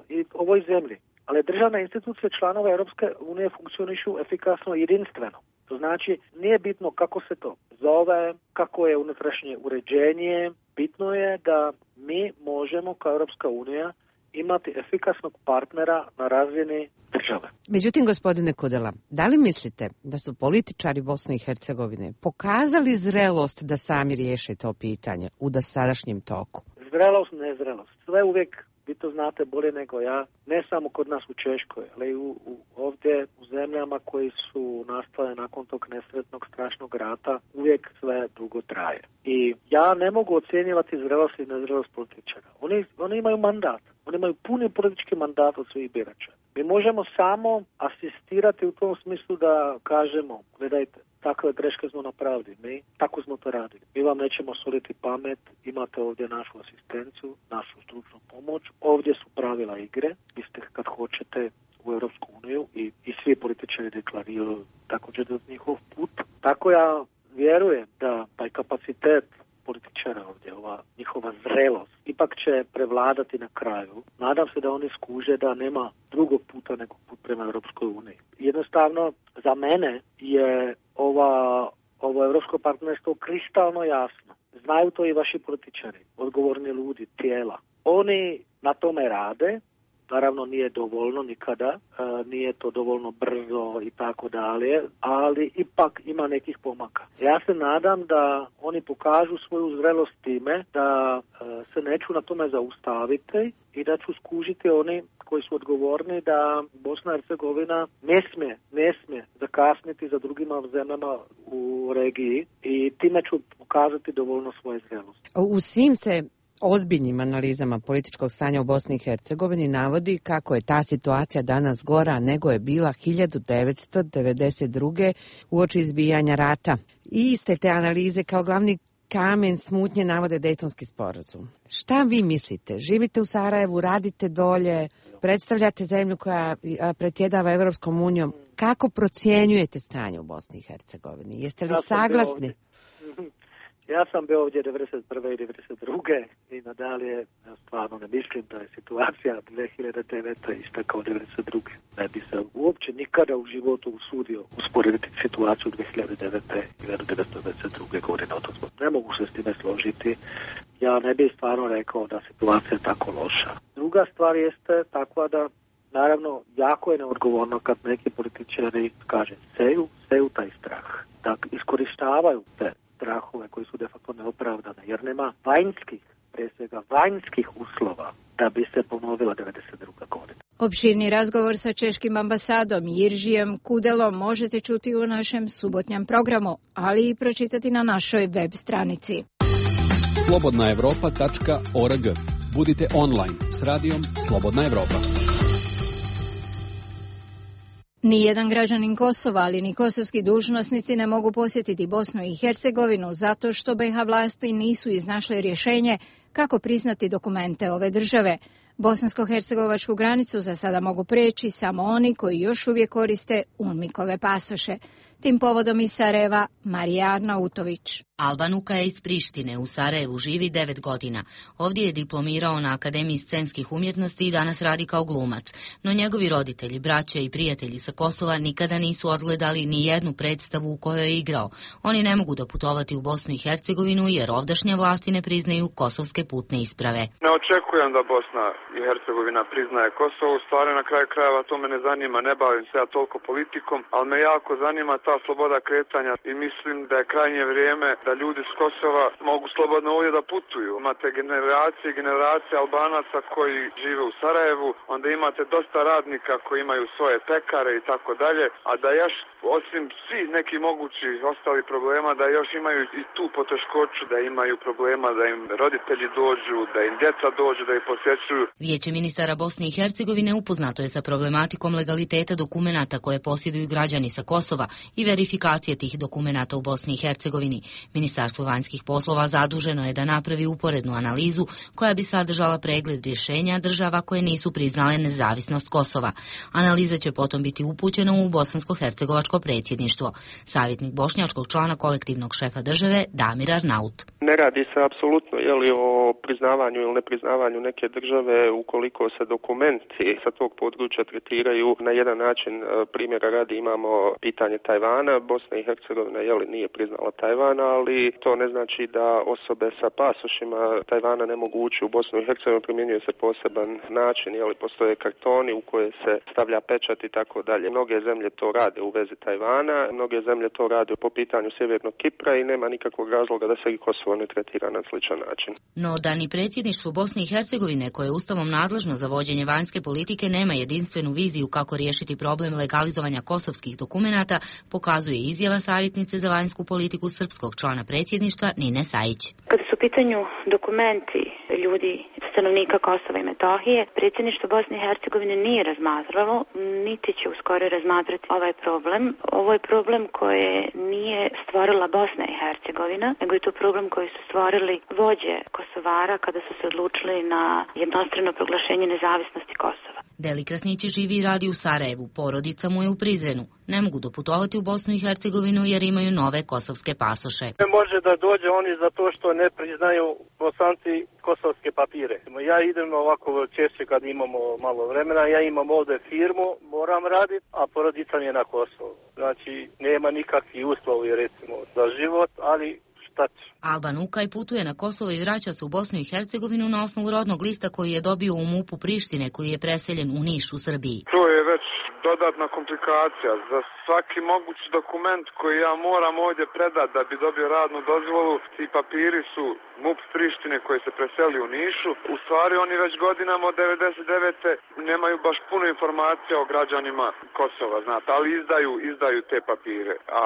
i ovoj zemlji. Ali državne institucije članova Europske unije funkcionišu efikasno i jedinstveno. To znači, nije bitno kako se to zove, kako je unutrašnje uređenje, bitno je da mi možemo kao Europska unija imati efikasnog partnera na razini države.
Međutim, gospodine Kudela, da li mislite da su političari Bosne i Hercegovine pokazali zrelost da sami riješe to pitanje u dosadašnjem toku?
Zrelost, nezrelost. Sve uvijek, vi to znate bolje nego ja, ne samo kod nas u Češkoj, ali ovdje u zemljama koji su nastale nakon tog nesretnog strašnog rata, uvijek sve dugo traje. I ja ne mogu ocjenjivati zrelost i nezrelost političara. Oni imaju mandat. Oni imaju puni politički mandat od svih birača. Mi možemo samo asistirati u tom smislu da kažemo, gledajte, takve greške smo napravili, mi tako smo to radili. Mi vam nećemo soliti pamet, imate ovdje našu asistenciju, našu stručnu pomoć, ovdje su pravila igre, vi ste kad hoćete u Europsku uniju i svi političari deklariraju također da njihov put. Tako ja vjerujem da taj kapacitet političara ovdje, ova njihova zrelost, ipak će prevladati na kraju. Nadam se da oni skuže da nema drugog puta nego put prema Europskoj uniji. Jednostavno, za mene je ovo europsko partnerstvo kristalno jasno. Znaju to i vaši političari, odgovorni ljudi, tijela. Oni na tome rade, naravno nije dovoljno nikada, nije to dovoljno brzo i tako dalje, ali ipak ima nekih pomaka. Ja se nadam da oni pokažu svoju zrelost time, da se neću na tome zaustaviti i da ću skužiti oni koji su odgovorni da Bosna i Hercegovina ne smije zakasniti za drugima zemljama u regiji i time ću pokazati dovoljno svoje zrelosti.
U svim se ozbiljnim analizama političkog stanja u Bosni i Hercegovini navodi kako je ta situacija danas gora nego je bila 1992. uoči izbijanja rata. I iste te analize kao glavni kamen smutnje navode Dejtonski sporazum. Šta vi mislite? Živite u Sarajevu, radite dolje, predstavljate zemlju koja predsjedava Evropskom unijom. Kako procjenjujete stanje u Bosni i Hercegovini? Jeste li saglasni?
Ja sam bio ovdje 1991. i 1992. i nadalje stvarno ne mislim da je situacija 2009. ista kao 1992. Ne bi se uopće nikada u životu usudio usporediti situaciju 2009. i 1992. godine. Ne mogu se s time složiti. Ja ne bih stvarno rekao da situacija je tako loša. Druga stvar jeste takva da Naravno, jako je neodgovorno kad neki političari, kaže, seju taj strah. Da iskorištavaju te strahove koji su de facto neopravdane, jer nema vanjskih, prije svega vanjskih uslova da bi se ponovila 92. godina.
Opširni razgovor sa češkim ambasadom Jiržijem Kudelom možete čuti u našem subotnjem programu, ali i pročitati na našoj web stranici.
slobodnaevropa.org. Budite online s radijom Slobodna Evropa.
Nijedan građanin Kosova, ali ni kosovski dužnosnici ne mogu posjetiti Bosnu i Hercegovinu zato što BiH vlasti nisu iznašle rješenje kako priznati dokumente ove države. Bosansko-hercegovačku granicu za sada mogu preći samo oni koji još uvijek koriste UNMIK-ove pasoše. Tim povodom iz Sarajeva, Marija Arnautović.
Alban Uka je iz Prištine, u Sarajevu živi 9 godina. Ovdje je diplomirao na Akademiji scenskih umjetnosti i danas radi kao glumac. No njegovi roditelji, braća i prijatelji sa Kosova nikada nisu odgledali ni jednu predstavu u kojoj je igrao. Oni ne mogu doputovati u Bosnu i Hercegovinu jer ovdašnje vlasti ne priznaju kosovske putne isprave.
Ne očekujem da Bosna i Hercegovina priznaje Kosovo. U stvari, na kraju krajeva to me ne zanima, ne bavim se ja toliko politikom, ali me jako zanima ta sloboda kretanja i mislim da je krajnje vrijeme da ljudi s Kosova mogu slobodno ovdje da putuju. Imate generacije i generacije Albanaca koji žive u Sarajevu, onda imate dosta radnika koji imaju svoje pekare i tako dalje, a da još osim svih nekih mogućih ostalih problema, da još imaju i tu poteškoću, da imaju problema da im roditelji dođu, da im djeca dođu, da ih posjećuju.
Vijeće ministara Bosne i Hercegovine upoznato je sa problematikom legaliteta dokumenata koje posjeduju građani sa Kosova i verifikacije tih dokumenata u Bosni i Hercegovini. Ministarstvo vanjskih poslova zaduženo je da napravi uporednu analizu koja bi sadržala pregled rješenja država koje nisu priznale nezavisnost Kosova. Analiza će potom biti upućena u bosansko-hercegovačko predsjedništvo. Savjetnik bošnjačkog člana kolektivnog šefa države Damir Arnaut.
Ne radi se apsolutno o priznavanju ili nepriznavanju neke države ukoliko se dokumenti sa tog područja tretiraju na jedan način. Primjera radi imamo pitanje Tajvana. Bosna i Hercegovina nije priznala Tajvana, ali to ne znači da osobe sa pasošima Tajvana ne mogu ući u Bosnu i Hercegovinu. Primjenjuje se poseban način, postoje kartoni u koje se stavlja pečat i tako dalje. Mnoge zemlje to rade u vezi Tajvana, mnoge zemlje to rade po pitanju Sjevernog Kipra i nema nikakvog razloga da se i Kosovo ne tretira na sličan način.
No da ni predsjedništvo Bosne i Hercegovine, koje je ustavom nadležno za vođenje vanjske politike, nema jedinstvenu viziju kako riješiti problem legalizovanja kosovskih dokumenata, pokazuje izjava savjetnice za vanjsku politiku srpskog člana predsjedništva Nine Sajić.
Kada su u pitanju dokumenti ljudi, stanovnika Kosova i Metohije, predsjedništvo Bosne i Hercegovine nije razmatralo, niti će uskoro razmatrati ovaj problem. Ovo je problem koje nije stvorila Bosna i Hercegovina, nego je to problem koji su stvorili vođe Kosovara kada su se odlučili na jednostrano proglašenje nezavisnosti Kosova.
Deli Krasnići živi i radi u Sarajevu, porodica mu je u Prizrenu. Ne mogu doputovati u Bosnu i Hercegovinu jer imaju nove kosovske pasoše.
Ne može da dođe oni zato što ne priznaju Bosanci kosovske papire. Ja idem ovako češće kad imamo malo vremena, ja imam ovdje firmu, moram raditi, a porodica mi je na Kosovu. Znači, nema nikakvih uslovi recimo za život, ali
Alban Ukaj putuje na Kosovo i vraća se u Bosnu i Hercegovinu na osnovu rodnog lista koji je dobio u MUP-u Prištine, koji je preseljen u Niš u Srbiji.
To je već dodatna komplikacija. Za svaki mogući dokument koji ja moram ovdje predati da bi dobio radnu dozvolu, ti papiri su MUP Prištine koji se preseli u Nišu. U stvari oni već godinama od 99. nemaju baš puno informacija o građanima Kosova, znate, ali izdaju te papire. A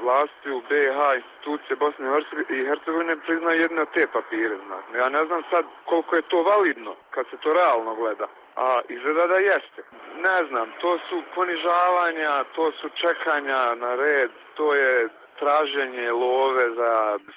vlasti u BiH, institucije Bosne i Hercegovine priznaju jedne od te papire, znate. Ja ne znam sad koliko je to validno kad se to realno gleda. A izgleda da jeste. Ne znam, to su ponižavanja, to su čekanja na red, to je traženje love za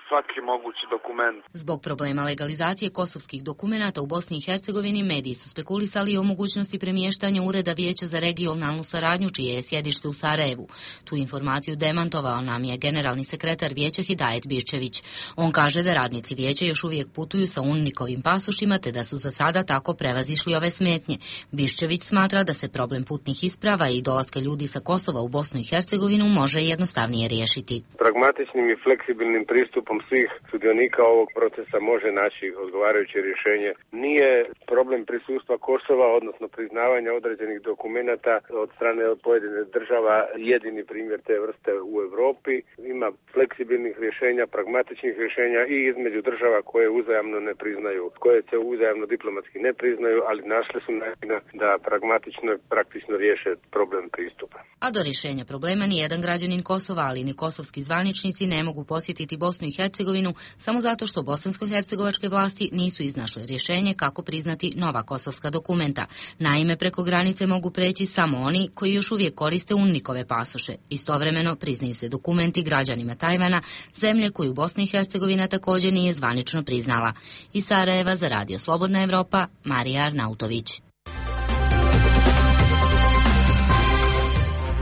svaki mogući dokument.
Zbog problema legalizacije kosovskih dokumenata u Bosni i Hercegovini mediji su spekulisali o mogućnosti premještanja Ureda Vijeća za regionalnu saradnju, čije je sjedište u Sarajevu. Tu informaciju demantovao nam je generalni sekretar Vijeća Hidajet Biščević. On kaže da radnici Vijeća još uvijek putuju sa UNMIK-ovim pasošima, te da su za sada tako prevazišli ove smetnje. Biščević smatra da se problem putnih isprava i dolaska ljudi sa Kosova u Bosnu i Hercegovinu može jednostavnije riješiti.
Pragmatičnim i fleksibilnim pristupom svih sudionika ovog procesa može naći odgovarajuće rješenje. Nije problem prisustva Kosova, odnosno priznavanja određenih dokumenata od strane pojedine država jedini primjer te vrste u Europi. Ima fleksibilnih rješenja, pragmatičnih rješenja i između država koje uzajamno ne priznaju, koje se uzajamno diplomatski ne priznaju, ali našli su načina da pragmatično i praktično riješe problem pristupa.
A do rješenja problema nijedan građanin Kosova, ali ni kosovski zvaničnici ne mogu posjetiti Bosnu i Hercegovinu samo zato što bosansko-hercegovačke vlasti nisu iznašle rješenje kako priznati nova kosovska dokumenta. Naime, preko granice mogu preći samo oni koji još uvijek koriste UNMIK-ove pasoše. Istovremeno priznaju se dokumenti građanima Tajvana, zemlje koju Bosna i Hercegovina također nije zvanično priznala. Iz Sarajeva za Radio Slobodna Evropa, Marija Arnautović.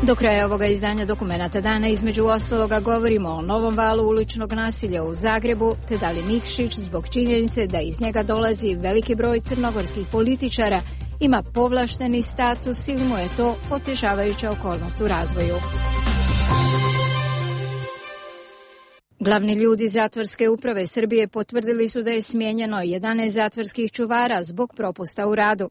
Do kraja ovoga izdanja Dokumenata dana između ostaloga govorimo o novom valu uličnog nasilja u Zagrebu, te da li Nikšić zbog činjenice da iz njega dolazi veliki broj crnogorskih političara ima povlašteni status ili mu je to otežavajuća okolnost u razvoju. Glavni ljudi zatvorske uprave Srbije potvrdili su da je smijenjeno 11 zatvorskih čuvara zbog propusta u radu.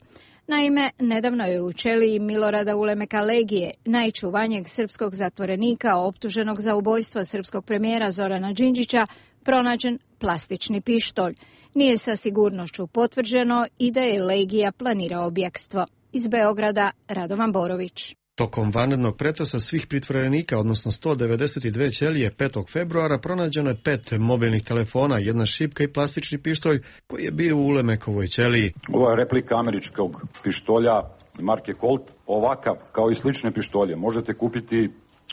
Naime, nedavno je u ćeliji Milorada Ulemeka Legije, najčuvanijeg srpskog zatvorenika optuženog za ubojstvo srpskog premijera Zorana Đinđića, pronađen plastični pištolj. Nije sa sigurnošću potvrđeno i da je Legija planirao bjekstvo. Iz Beograda, Radovan Borović.
Tokom vanrednog pretresa svih pritvorenika, odnosno 192 ćelije 5. februara, pronađeno je 5 mobilnih telefona, jedna šipka i plastični pištolj koji je bio u Ulemekovoj ćeliji.
Ovo je replika američkog pištolja marke Colt. Ovakav, kao i slične pištolje, možete kupiti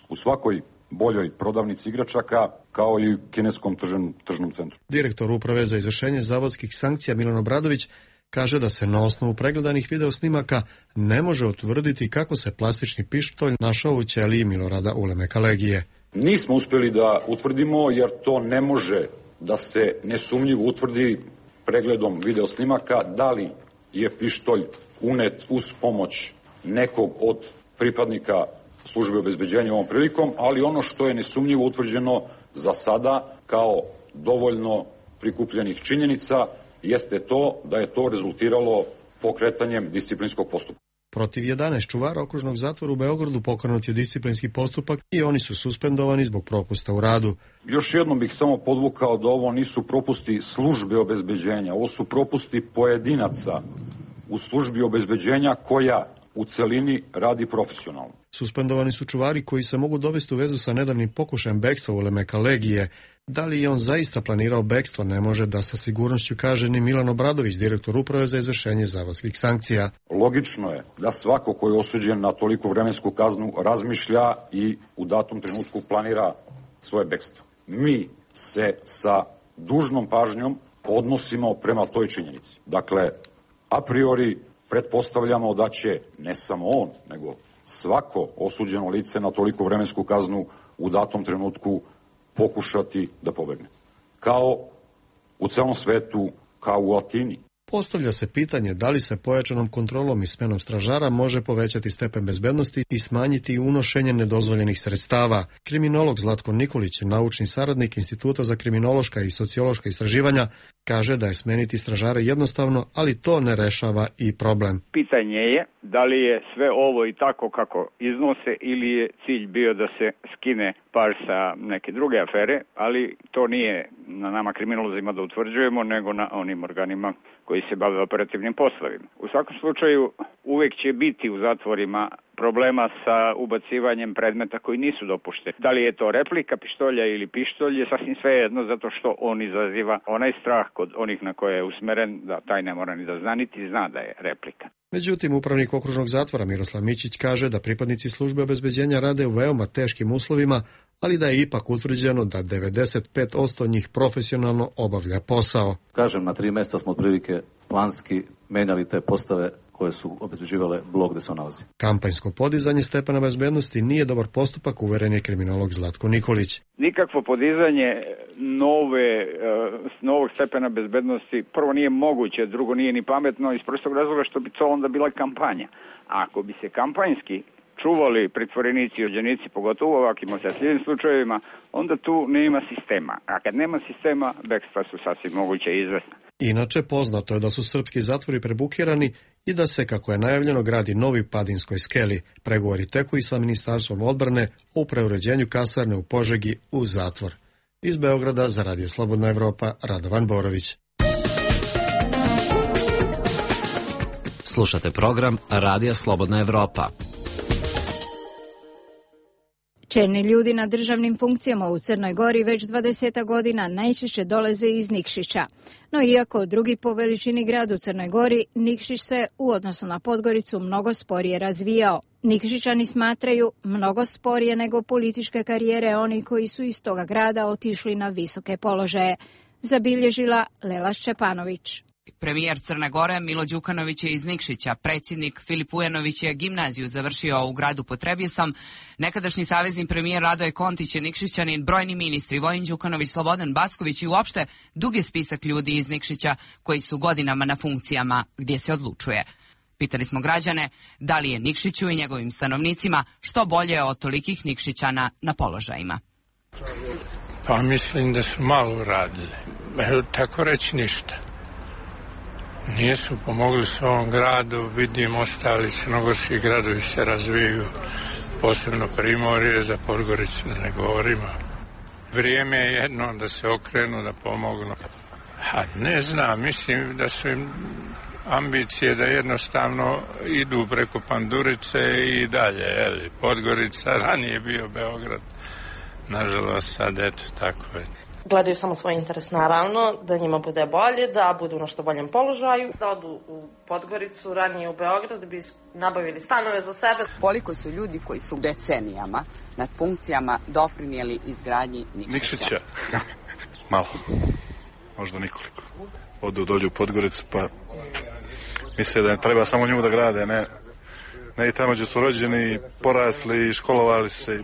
u svakoj boljoj prodavnici igračaka, kao i u kineskom tržnom centru.
Direktor Uprave za izvršenje zavodskih sankcija Milan Obradović kaže da se na osnovu pregledanih videosnimaka ne može utvrditi kako se plastični pištolj našao u ćeliji Milorada Ulemeka Legije.
Nismo uspjeli da utvrdimo jer to ne može da se nesumnjivo utvrdi pregledom videosnimaka da li je pištolj unet uz pomoć nekog od pripadnika službe obezbeđenja ovom prilikom, ali ono što je nesumnjivo utvrđeno za sada kao dovoljno prikupljenih činjenica jeste to da je to rezultiralo pokretanjem disciplinskog postupka.
Protiv 11 čuvara okružnog zatvora u Beogradu pokrenut je disciplinski postupak i oni su suspendovani zbog propusta u radu.
Još jednom bih samo podvukao da ovo nisu propusti službe obezbeđenja, ovo su propusti pojedinaca u službi obezbeđenja koja u celini radi profesionalno.
Suspendovani su čuvari koji se mogu dovesti u vezu sa nedavnim pokušajem bekstva Ulemeka Legije. Da li je on zaista planirao bekstvo, ne može da sa sigurnošću kaže ni Milan Obradović, direktor Uprave za izvršenje zavodskih sankcija.
Logično je da svako ko je osuđen na toliko vremensku kaznu razmišlja i u datom trenutku planira svoje bekstvo. Mi se sa dužnom pažnjom odnosimo prema toj činjenici. Dakle, a priori pretpostavljamo da će ne samo on, nego svako osuđeno lice na toliko vremensku kaznu u datom trenutku pokušati da pobegne. Kao u celom svetu, kao u Atini.
Postavlja se pitanje da li se pojačanom kontrolom i smenom stražara može povećati stepen bezbednosti i smanjiti unošenje nedozvoljenih sredstava. Kriminolog Zlatko Nikolić, naučni saradnik Instituta za kriminološka i sociološka istraživanja, kaže da je smeniti stražare jednostavno, ali to ne rešava i problem.
Pitanje je da li je sve ovo i tako kako iznose ili je cilj bio da se skine par sa neke druge afere, ali to nije na nama kriminolozima da utvrđujemo, nego na onim organima koji se bave operativnim poslovima. U svakom slučaju uvijek će biti u zatvorima problema sa ubacivanjem predmeta koji nisu dopušteni. Da li je to replika pištolja ili pištolj je sasvim svejedno, zato što on izaziva onaj strah kod onih na koje je usmeren da taj ne mora ni da zna, niti zna da je replika.
Međutim, upravnik okružnog zatvora Miroslav Mićić kaže da pripadnici službe obezbeđenja rade u veoma teškim uslovima, ali da je ipak utvrđeno da 95% njih profesionalno obavlja posao.
Kažem, na 3 mjeseca smo otprilike planski menjali te postave koje su obezbeđivale blok gdje se on nalazi.
Kampanjsko podizanje stepena bezbednosti nije dobar postupak, uveren je kriminolog Zlatko Nikolić.
Nikakvo podizanje novog stepena bezbednosti prvo nije moguće, drugo nije ni pametno iz prostog razloga što bi to onda bila kampanja. A ako bi se kampanjski čuvali pritvorenici i osuđenici, pogotovo u ovakvim osjetljivim slučajevima, onda tu nema sistema. A kad nema sistema, bekstva su sasvim moguće i izvesna.
Inače, poznato je da su srpski zatvori prebukirani i da se, kako je najavljeno, gradi novi Padinskoj skeli. Pregovori teku i sa Ministarstvom odbrane o preuređenju kasarne u Požegi u zatvor. Iz Beograda za Radio Slobodna Evropa, Radovan Borović.
Slušate program Radija Slobodna Evropa.
Čelni ljudi na državnim funkcijama u Crnoj Gori već 20 godina najčešće dolaze iz Nikšića. No iako drugi po veličini grad u Crnoj Gori, Nikšić se u odnosu na Podgoricu mnogo sporije razvijao. Nikšićani smatraju mnogo sporije nego političke karijere oni koji su iz toga grada otišli na visoke položaje, zabilježila Lela Šćepanović.
Premijer Crne Gore Milo Đukanović je iz Nikšića, predsjednik Filip Vujanović je gimnaziju završio u gradu Potrebjesom, nekadašnji savezni premijer Radoje Kontić je Nikšićanin, brojni ministri Vojin Đukanović, Slobodan Backović i uopšte dug je spisak ljudi iz Nikšića koji su godinama na funkcijama gdje se odlučuje. Pitali smo građane da li je Nikšiću i njegovim stanovnicima što bolje od tolikih Nikšićana na položajima.
Pa mislim da su malo uradili. Tako reći ništa. Nisu pomogli svom gradu, vidim ostali crnogorski gradovi se razvijaju, posebno Primorje, za Podgoricu da ne govorimo. Vrijeme je jedno da se okrenu, da pomognu. Ne znam, mislim da su im ambicije da jednostavno idu preko Pandurice i dalje. Podgorica, ranije bio Beograd, nažalost sad eto tako je.
Gledaju samo svoj interes, naravno, da njima bude bolje, da budu na što boljem položaju, da odu u Podgoricu, ranije u Beograd, da bi nabavili stanove za sebe.
Koliko su ljudi koji su decenijama nad funkcijama doprinijeli izgradnji Nikšića?
Malo, možda nikoliko. Odu dolje u Podgoricu, pa misle da treba samo nju da grade, ne i tamo gdje su rođeni, porasli, školovali se.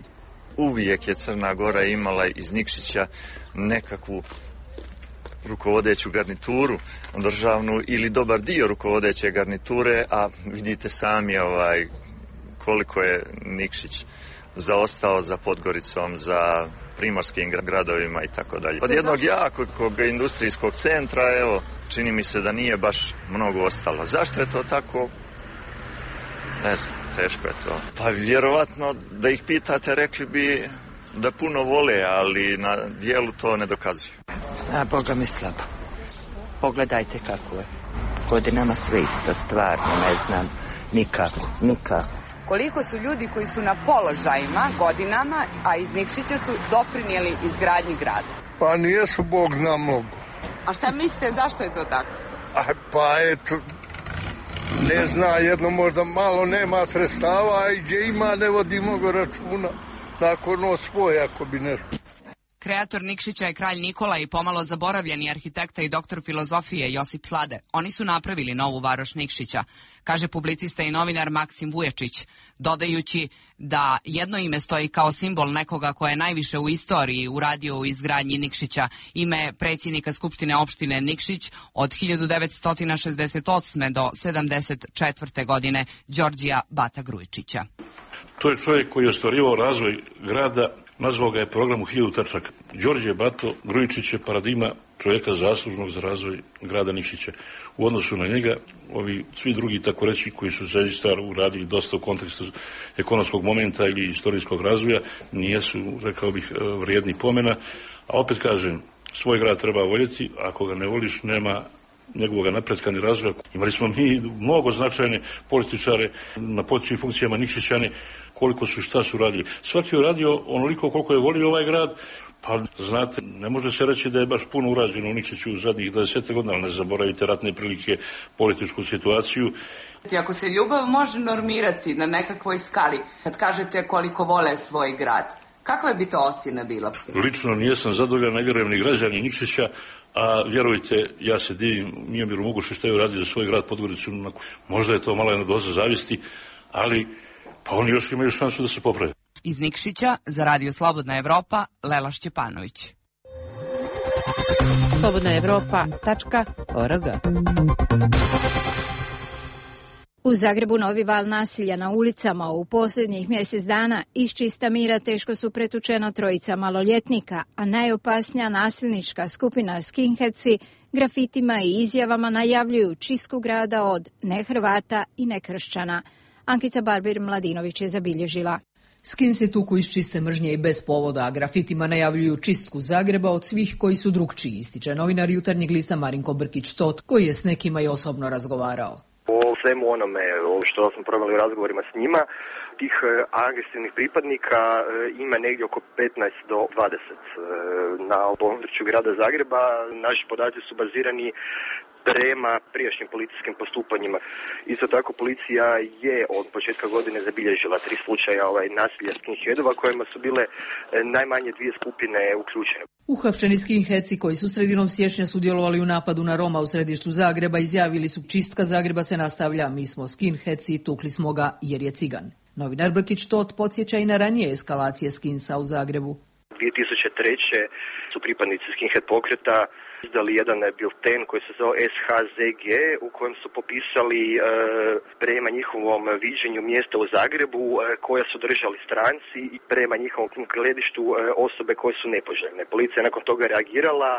Uvijek je Crna Gora imala iz Nikšića nekakvu rukovodeću garnituru državnu ili dobar dio rukovodeće garniture, a vidite sami koliko je Nikšić zaostao za Podgoricom, za primorskim gradovima i tako dalje. Od jednog jakog industrijskog centra, evo, čini mi se da nije baš mnogo ostalo. Zašto je to tako? Ne znam, teško je to. Pa vjerovatno da ih pitate rekli bi da puno vole, ali na dijelu to ne dokazuju.
A Boga mi slabo. Pogledajte kako je. Godinama sve isto, stvarno, ne znam, nikako.
Koliko su ljudi koji su na položajima godinama, a iz Nikšića su doprinijeli izgradnji grada?
Pa nijesu, Bog zna mnogo.
A šta mislite, zašto je to tako?
Pa eto, ne zna, jedno možda malo nema sredstava i gdje ima ne vodi mnogo računa. Nakon svoje ako bi nešto.
Kreator Nikšića je kralj Nikola i pomalo zaboravljeni arhitekta i doktor filozofije Josip Slade. Oni su napravili novu varoš Nikšića, kaže publicista i novinar Maksim Vujačić, dodajući da jedno ime stoji kao simbol nekoga koje je najviše u istoriji uradio u izgradnji Nikšića, ime predsjednika Skupštine opštine Nikšić od 1968. do 1974. godine, Đorđija Bata Grujičića.
To je čovjek koji je ostvarivao razvoj grada, nazvao ga je program u 1000 tačaka. Đorđe Bato Grujičić je paradigma čovjeka zaslužnog za razvoj grada Nikšića. U odnosu na njega, ovi svi drugi, tako reći, koji su zaista uradili dosta u kontekstu ekonomskog momenta ili istorijskog razvoja, nijesu, rekao bih, vrijedni pomena. A opet kažem, svoj grad treba voljeti, ako ga ne voliš, nema njegovog napretka ni razvoja. Imali smo mi mnogo značajne političare na političkim funkcijama Nikšićane, koliko su šta su radili. Svaki je radio onoliko koliko je volio ovaj grad, pa znate, ne može se reći da je baš puno urađeno u Nikšiću u zadnjih 20 godina, ali ne zaboravite ratne prilike, političku situaciju.
Ako se ljubav može normirati na nekakvoj skali, kad kažete koliko vole svoj grad, kakva bi to ocjena bila?
Lično nijesam zadovoljan, ne vjerujem ni građani Nikšića, a vjerujte, ja se divim Mijomiru Mugušu što je uradio za svoj grad Podgoricu. Možda je to malo jedna doza zavisti, ali pa oni još imaju šansu da se poprave.
Iz Nikšića za Radio Slobodna Evropa, Lela Šćepanović.
slobodnaevropa.org.
U Zagrebu novi val nasilja na ulicama u posljednjih mjesec dana iz čista mira teško su pretučena 3 maloljetnika, a najopasnija nasilnička skupina skinheadsi grafitima i izjavama najavljuju čistku grada od nehrvata i nekršćana. Ankica Barbir-Mladinović je zabilježila.
Skinsi tuku iz čiste mržnje i bez povoda, a grafitima najavljuju čistku Zagreba od svih koji su drukčiji, ističe novinar Jutarnjeg lista Marinko Brkić-Tot, koji je s nekima i osobno razgovarao.
O svemu onome što smo probali u razgovorima s njima, tih agresivnih pripadnika ima negdje oko 15 do 20 na području grada Zagreba. Naši podaci su bazirani prema prijašnjim policijskim postupanjima. Isto tako policija je od početka godine zabilježila 3 slučaja nasilja skinheadova kojima su bile najmanje 2 skupine uključene.
Uhapšeni skinheadsi koji su sredinom siječnja sudjelovali u napadu na Roma u središtu Zagreba izjavili su: čistka Zagreba se nastavlja, mi smo skinheadsi, tukli smo ga jer je cigan. Novinar Brkić-Tot podsjeća i na ranije eskalacije skinsa u Zagrebu.
2003. su pripadnici skinhead pokreta izdali jedan bilten koji se zvao SHZG u kojem su popisali prema njihovom viđenju mjesta u Zagrebu koja su držali stranci i prema njihovom gledištu osobe koje su nepoželjne. Policija je nakon toga reagirala.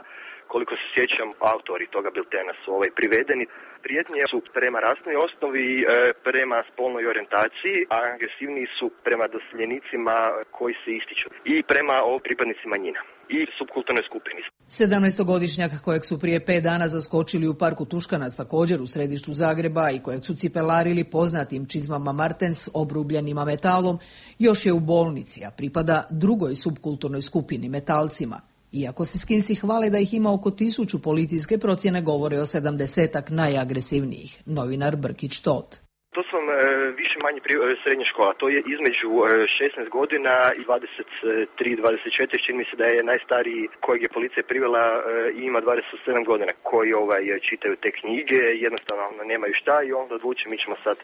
Koliko se sjećam, autori toga biltena su privedeni. Prijetnje su prema rasnoj osnovi, prema spolnoj orijentaciji, a agresivniji su prema doseljenicima koji se ističu i prema pripadnicima manjina i subkulturnoj skupini.
17-godišnjak kojeg su prije 5 dana zaskočili u parku Tuškanac, također u središtu Zagreba, i kojeg su cipelarili poznatim čizmama Martens obrubljenima metalom, još je u bolnici, a pripada drugoj subkulturnoj skupini, metalcima. Iako se skinsi hvale da ih ima oko 1000, policijske procjene govore o 70-ak najagresivnijih. Novinar Brkić-Tot.
To su vam više manje srednja škola. To je između 16 godina i 23-24. Čini mi se da je najstariji kojeg je policija privela i ima 27 godina. Koji čitaju te knjige, jednostavno nemaju šta i onda odluče mi ćemo sad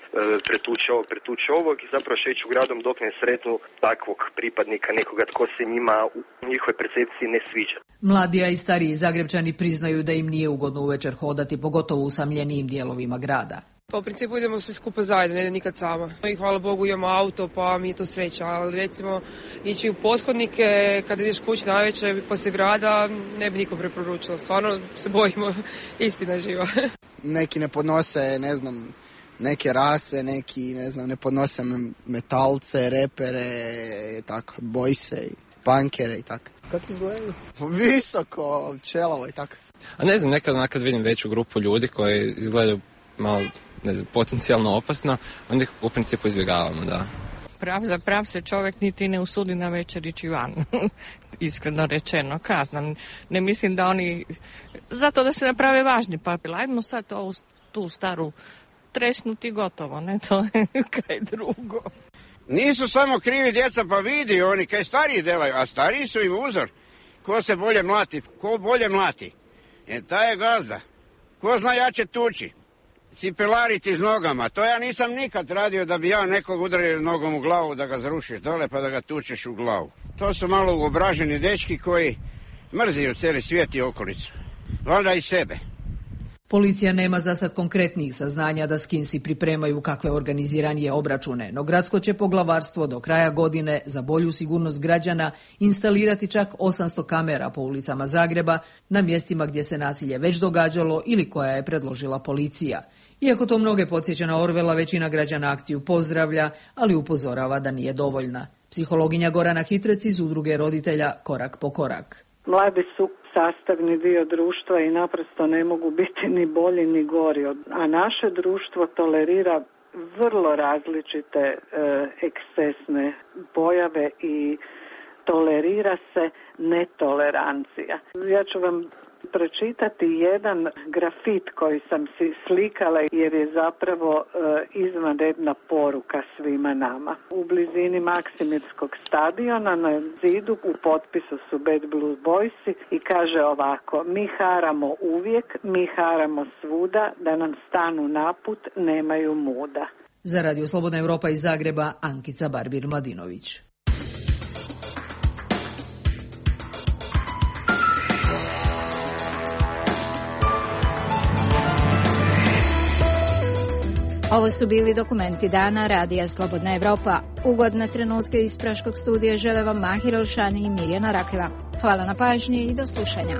pretući ovog i zapravo šeću gradom dok ne sretnu takvog pripadnika, nekoga tko se njima u njihovoj percepciji ne sviđa.
Mladi, a i stariji Zagrebčani priznaju da im nije ugodno uvečer hodati, pogotovo u usamljenijim dijelovima grada.
Pa u principu idemo svi skupa zajedno, ne nikad sama. I hvala Bogu imamo auto, pa mi je to sreća, ali recimo ići u pothodnike kada ideš kući navečer poslije grada ne bi nikom preporučila, stvarno se bojimo, istina živa.
Neki ne podnose, neke rase, neki ne podnose metalce, repere, tako, bojse, punkere i tako.
Kako izgledaju?
Visoko, čelavo i tako.
A ne znam, nekad vidim veću grupu ljudi koji izgledaju malo, potencijalno opasno, onda ih u principu izbjegavamo, da.
Prav se čovjek niti ne usudi na večer ići van, iskreno rečeno, kazna. Ne mislim da oni, zato da se naprave važni papir, ajmo sad tu staru tresnuti gotovo, ne, to je kaj drugo.
Nisu samo krivi djeca, pa vidi oni kaj stariji delaju, a stariji su im uzor. Ko se bolje mlati, ko bolje mlati, taj je gazda. Ko zna jače tuči. Cipelariti s nogama, to ja nisam nikad radio da bi ja nekog udario nogom u glavu da ga zrušiš dole pa da ga tučeš u glavu. To su malo uobraženi dečki koji mrziju cijeli svijet i okolicu. Valjda i sebe.
Policija nema za sad konkretnih saznanja da skinsi pripremaju kakve organiziranije obračune, no gradsko će poglavarstvo do kraja godine za bolju sigurnost građana instalirati čak 800 kamera po ulicama Zagreba na mjestima gdje se nasilje već događalo ili koja je predložila policija. Iako to mnoge podsjeća na Orvela, većina građana akciju pozdravlja, ali upozorava da nije dovoljna. Psihologinja Gorana Hitrec iz udruge roditelja Korak po korak.
Mladi su sastavni dio društva i naprosto ne mogu biti ni bolji ni gori. A naše društvo tolerira vrlo različite ekscesne pojave i tolerira se netolerancija. Ja ću vam pročitati jedan grafit koji sam si slikala jer je zapravo izvanredna poruka svima nama. U blizini Maksimirskog stadiona na zidu u potpisu su Bad Blue Boysi i kaže ovako: mi haramo uvijek, mi haramo svuda, da nam stanu naput, nemaju muda.
Za Radio Slobodna Europa iz Zagreba, Ankica Barbir-Mladinović.
Ovo su bili dokumenti dana Radija Slobodna Evropa. Ugodne trenutke iz Praškog studija žele vam Mahir Olšani i Mirjana Rakeva. Hvala na pažnji i do slušanja.